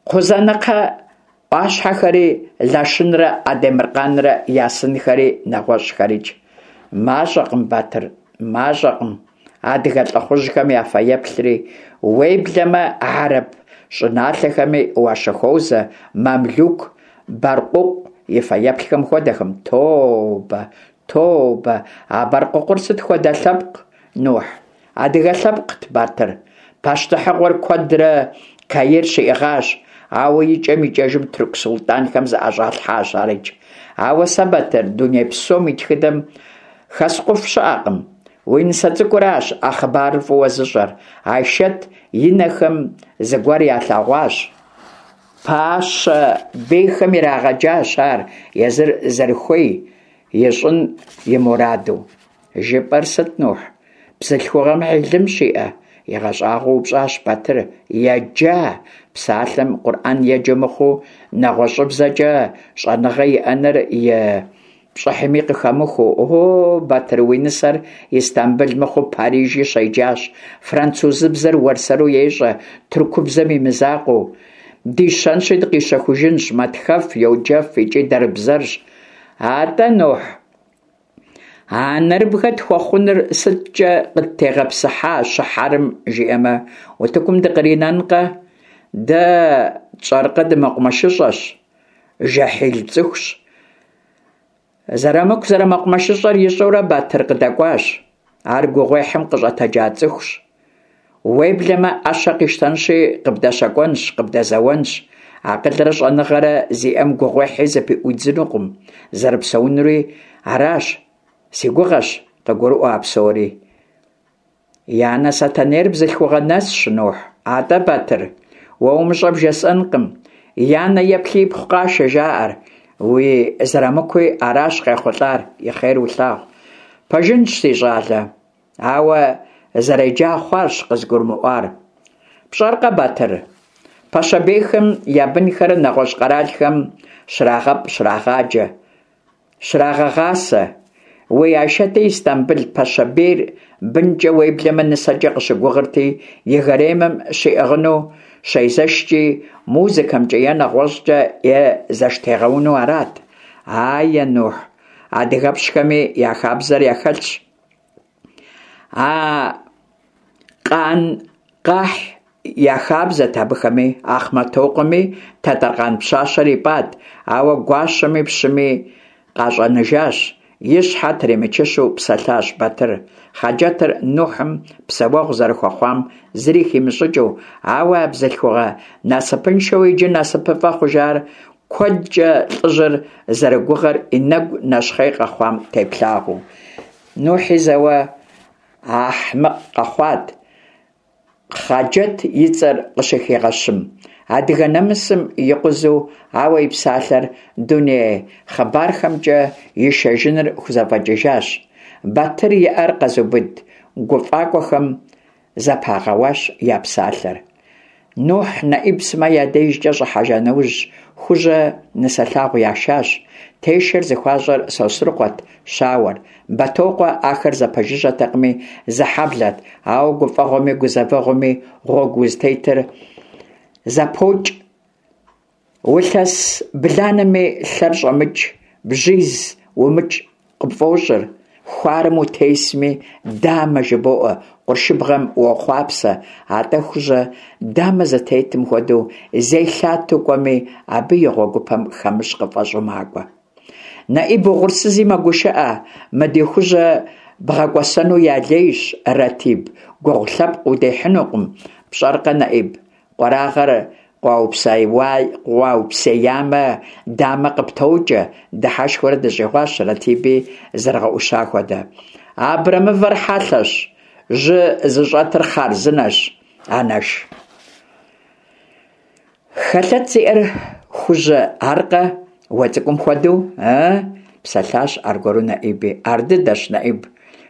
Кхъузанэкхъэ ӏуащхьэхэри, Лашынрэ Адемыркъанрэ я сынхэри, нэгъуэщӏхэрикӏ. Мащӏэкъым, Батыр, мащӏэкъым адыгэ лӏыхъужьхэм я фэеплъри, уеблэмэ хьэрып щӏыналъэхэми уащыхуозэ мамлюк Бэркъукъу и фэеплъхэм хуэдэхэм. Тобэ, тобэ, а Бэркъукъур сыт хуэдэ лъэпкъ, Нухь? Адыгэ лъэпкът, Батыр. Пащтыхьыгъуэр куэдрэ Каир щиӏыгъащ, ауэ икӏэм-икӏэжым тырку султӏанхэм зыӏэщӏалъхьащ арикӏ. Ауэ сэ, Батыр, дуней псом и тхыдэм хэскъуф щыӏэкъым. Уи нысэ цӏыкӏуращ а хъыбарыр фӏыуэ зыщӏэр. Айшэт и нэхэм зыгуэр ялъэгъуащ. Пащэ бейхэм ирагъэджащ ар езыр зэрыхуей ищӏын и мураду. Жыпӏэр сыт, Нухь? Бзылъхугъэм хьилым щиӏэ? Игъэщӏагъуэу упщӏащ Батыр. Еджа, псалъэм Къурӏэн еджэ мыхъуу, нэгъуэщӏыбзэкӏэ щӏэныгъэ иӏэныр и пщӏыхьми къыхэмыхуэу. О, Батыр, уи нысэр Истамбыл мыхъуу Парижи щеджащ, французыбзэр уэрсэру ещӏэ, тыркубзэм и мызакъуэу. Дищэнщи дыкъищэхужынщ, мэтхэф, йоджэф икӏи дэрбзэрщ. Атӏэ, Нухь, а нэрыбгэ тхуэхъуныр сыткӏэ къыттегъэпсыхьа щыхьэрым, жиӏэмэ, утыкум дыкъринэнкъэ? Дэ тщӏэркъэ дымэкъумэшыщӏэщ, жэхьил цӏыхущ. Зэрамыку зэрымэкъумэшыщӏэр ищӏэурэ Батыр къыдэкӏуащ. Ар гугъуехьым къыщӏэтэджа цӏыхущ. Уеблэмэ, ӏэщэ къищтэнщи, къыбдэщэкӏуэнщ, къыбдэзэуэнщ. Акъылрэ щӏэныгъэрэ зиӏэм гугъуехьи зыпыӏуидзынукъым, зэрыпсэунури аращ. Си гугъэщ къыгурыӏуэ а псори. И анэ Сэтэнейр бзылъхугъэ нэсщ, Нухь. Атӏэ, Батыр, уэ умыщӏэ бжесӏэнкъым. И анэ еплъи ипхъу къашэ, жаӏэр. Уи Зырамыкуи аращ къехъулӏар, и хъер улъагъу. Пэжынщ, си щӏалэ. Ауэ зэреджа хъуарщ къызгурымыӏуар. Пщӏэркъэ, Батыр, пэщэбейхэм я бынхэр нэгъуэщӏ къэралхэм щрагъэпӏ, щрагъаджэ. Щрагъэгъасэ. Уи Айшэти Истамбыл пэщэбейр бынкӏэ уеблэмэ нысэкӏэ къыщыгугъырти, и гаремым щиӏыгъыну щезэшкӏи, музыкэмкӏэ е нэгъуэщӏкӏэ е зэштегъэуну арат. Ае, Нухь, адыгэпщхэми я хабзэр яхэлъщ. А къан къахь я хабзэт абыхэми, Ахъмэтокъуэми Тэтэркъан пщащэр ипӏат, ауэ гуащэми пщыми къащӏэныжащ, и щхьэ тримычыщу псэлъащ Батыр, Хъаджэтыр Нухьым псэуэгъу зэрыхуэхъуам зыри химыщӏыкӏыу, ауэ а бзылъхугъэ насыпыншэу иджы насыпыфӏэ хъужар куэдкӏэ лӏыжьыр зэрыгугъэр и нэгу нэщхъей къэхъуам теплъагъуэу. Нухьи зэуэ ахьмыкъ къэхъуат, Хъаджэт и цӏэр къыщыхигъэщым. Адыгэ нэмысым икъузу, ауэ и псалъэр дуней хъыбархэмкӏэ ишэжыныр хузэфӏэкӏыжащ. Батыр и ӏэр къэзубыд гуфӏакӏуэхэм зэпагъэуащ я псалъэр. Нухь Нэӏиб сымэ я дежкӏэ щӏыхьэжа нэужь, Хужьэ нысэлъагъу яшащ. Тешэр зыхуащӏэр Сосрыкъуэт, щауэр. Бэтокъуэ ахэр зэпэжыжьэтэкъыми, зы хьэблэт, ауэ гуфӏэгъуэми гузэвэгъуэми гъуэгу узытетыр зэпокӏ. Улъэс бланэми лъэр щӏэмыкӏ, бжьиз умыкӏ къыпфӏощӏыр, хуарэм утесми, дамэ жыбоӏэ, къуршыбгъэм уохъуапсэ, атӏэ Хужьэ дамэ зытетым хуэдэу зелъатэу кӏуэми, абы и гъуэгупэм хэмыщӏ къыфӏэщӏу макӏуэ. Нэӏиб угъурсызи мэгушыӏэ, мы ди Хужьэ бгъэкӏуэсэну я лейщ, Ратиб, гугъу лъэпкъ удехьынукъым, пщӏэркъэ, Нэӏиб, Къуэрагъэр къуаупсеямэ, дамэ къыптокӏэ, дыхьэшхыурэ дыщӏигъуащ Ратиби зэрыгъэӏуща хуэдэ. Абрэмывэр хьэлъэщ, жьы зыщӏэтыр хъарзынэщ, анэш. Хэлъэт зиӏэр Хужьэ аркъэ, уэ цӏыкӏум хуэдэу, ыы? псэлъащ аргуэру Нэӏиби. Ардыдэщ, Нэӏиб.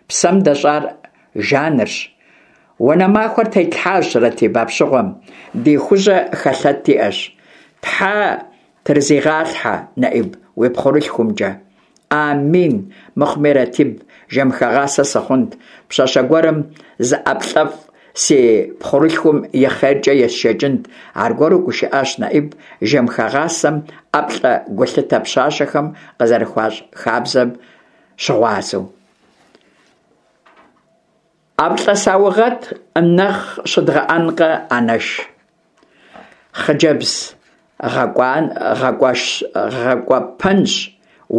Псэм дэщӏар жанырщ. Уанэ махуэр тетлъхьащ, Ратиб, апщыгъуэм, ди Хужьэ хэлъэт иӏэщ. Тхьэ трызигъалъхьэ, Нэӏиб, уи пхъурылъхумкӏэ. Амин, мыхъуми, Ратиб, жэмыхэгъасэ сыхъунт, пщащэ гуэрым зы ӏэплӏэфӏ си пхъурылъхум и хъеркӏэ есшэкӏынт, аргуэру гушыӏащ Нэӏиб, жэмыхэгъасэм ӏэплӏэ гулъытэ пщащэхэм къызэрыхуащӏ хабзэм щыгъуазэу. ӏэплӏэ саугъэт нэхъ щыдгъэӏэнкъэ, анэш? Хъыджэбз гъэкӏуэпэнщ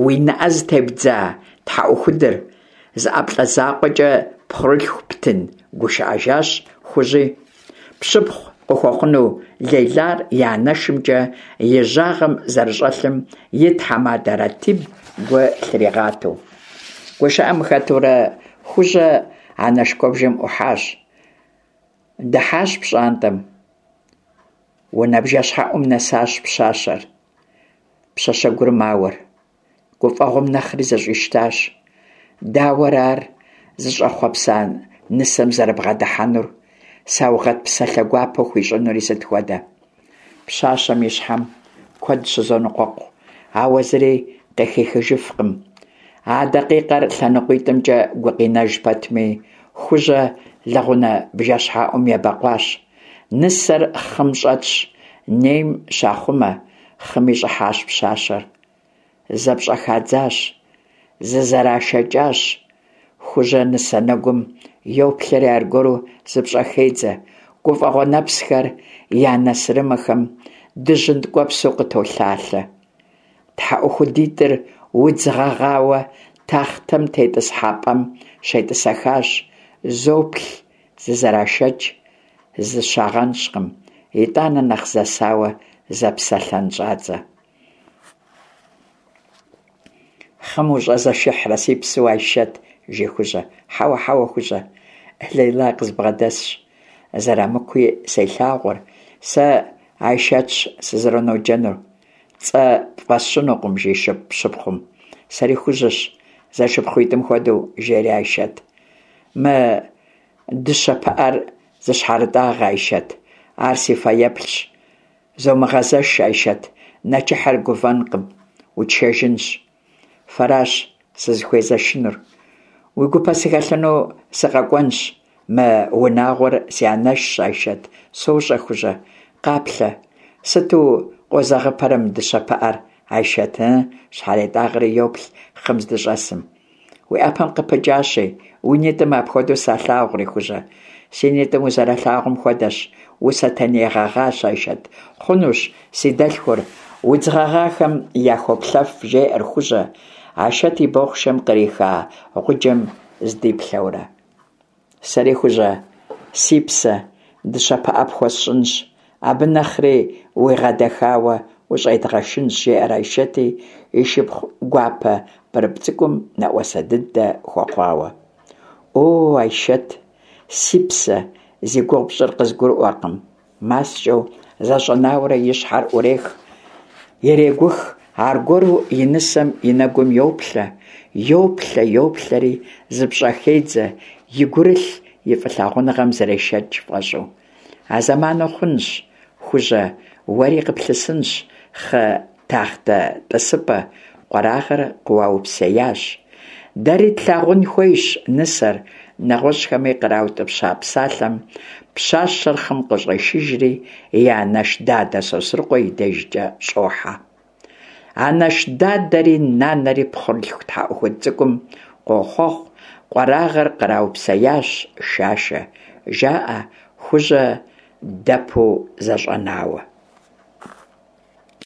уи нэӏэ зытебдза тхьэӏухудыр, зы ӏэплӏэ закъуэкӏэ пхъурылъху птын, гушыӏэжащ Хужьи. Пщыпхъу къыхуэхъуну Лейлар и анэшымкӏэ и жьагъэм зэрыщӏэлъым и тхьэмадэ Ратиб гу лъригъатэу. Гушыӏэм хэтурэ Хужьэ анэш куэбжэм ӏухьащ. Дыхьащ пщӏантӏэм. Унэ бжэщхьэӏум нэсащ пщащэр. Пщащэгур мауэр. Гуфӏэгъуэм нэхъри зэщӏищтащ. Дауэрэ ар зыщӏэхъуэпса нысэм зэрыбгъэдыхьэнур, саугъэт псалъэ гуапэ хуищӏынури сыт хуэдэ? Пщащэм и щхьэм куэд щызоныкъуэкъу, ауэ зыри къыхихыжыфкъым. А дакъикъэр лъэныкъуитӏымкӏэ гукъинэж пэтми, Хужьэ лэгъунэ бжэщхьэӏум ебэкъуащ. Нысэр хъым щӏэтщ, нейм щахъумэ, хъыми щӏыхьащ пщащэр. Зэпщӏэхадзащ, зызэрашэкӏащ. Хужьэ нысэ нэгум йоплъэри аргуэру зыпщӏэхедзэ, гуфӏэгъуэ нэпсхэр я нэ сырымэхэм дыжьын ткӏуэпсу къытолъалъэ. Тхьэӏухудитӏыр удз гъэгъауэ тахътэм тетӏысхьэпӏэм щетӏысэхащ, зоплъ, зызэрашэкӏ, зыщагъэнщӏкъым, итӏанэ нэхъ зэсауэ зэпсэлъэн щӏадзэ. Хъым ущӏэзэшыхьрэ, си псэу Айшэт, жи Хужьэ. Хьэуэ, хьэуэ, Хужьэ, Лейла къызбгъэдэсщ. Зэрамыкуи селъагъур. Сэ Айшэтщ сызэроноджэнур. Цӏэ пфӏэсщынукъым, жи пщыпхъум. Сэри Хужьэщ, зэшыпхъуитӏым хуэдэу, жери Айшэт. Мы дыщэ пыӏэр зыщхьэрытӏагъэ, Айшэт. Ар си фэеплъщ. Зомыгъэзэш, Айшэт, нэчыхьыр гувэнкъым, утшэжынщ. Фэращ сызыхуезэшынур. Уи гупэ сыхэлъыну сыкъэкӏуэнщ. Мы унагъуэр си анэшщ, Айшэт, сощӏэ, Хужьэ. Къаплъэ, сыту къозэгъыпэрэ мы дыщэ пыӏэр, Айшэт, ы? Щхьэретӏагъэри йоплъ хъым здыщӏэсым. Уи ӏэпэм къыпыкӏащи, уи нитӏым апхуэдэу салъагъури, Хужьэ. Си нитӏым узэралъагъум хуэдэщ, у-сэтэней гъэгъащ, Айшэт. Хъунущ, си дэлъхур, удз гъэгъахэм яхоплъэф, жеӏэр Хужьэ, Айшэт и бохъшэм къриха гъуджэм здиплъэурэ. Сэри, Хужьэ, си псэ, дыщэ пыӏэ пхуэсщӏынщ, абы нэхъри уигъэдэхауэ ущӏедгъэшынщ, жеӏэр Айшэти, и шыпхъу гуапэ пӏырыпӏ цӏыкӏум нэӏуасэ дыдэ хуэхъуауэ. О, Айшэт, си псэ, зи гугъу пщӏыр къызгурыӏуэркъым. Маскӏэу зэщӏэнауэрэ и щхьэр ӏурех, ирегух, аргуэру и нысэм и нэгум йоплъэ, йоплъэ, йоплъэри, зыпщӏэхедзэ, и гурылъ и фӏылъагъуныгъэм зрешэкӏ фӏэщӏу. А зэману хъунщ, Хужьэ, уэри къыплъысынщ хъы тахътэ тӏысыпӏэ, къуэрагъэр къыуаупсеящ. Дэри тлъагъун хуейщ нысэр, нэгъуэщӏхэми къраутӏыпща псалъэм пщащэр хъым къыщӏешыжри, и анэш дадэ Сосрыкъуэ и дежкӏэ щӏохьэ. Анэш дадэри нанэри пхъурылъху тхьэӏухуд цӏыкӏум къохъуэхъу, къуэрагъэр къраупсеящ, Шашэ, жаӏэ Хужьэ дэпу зэщӏэнауэ.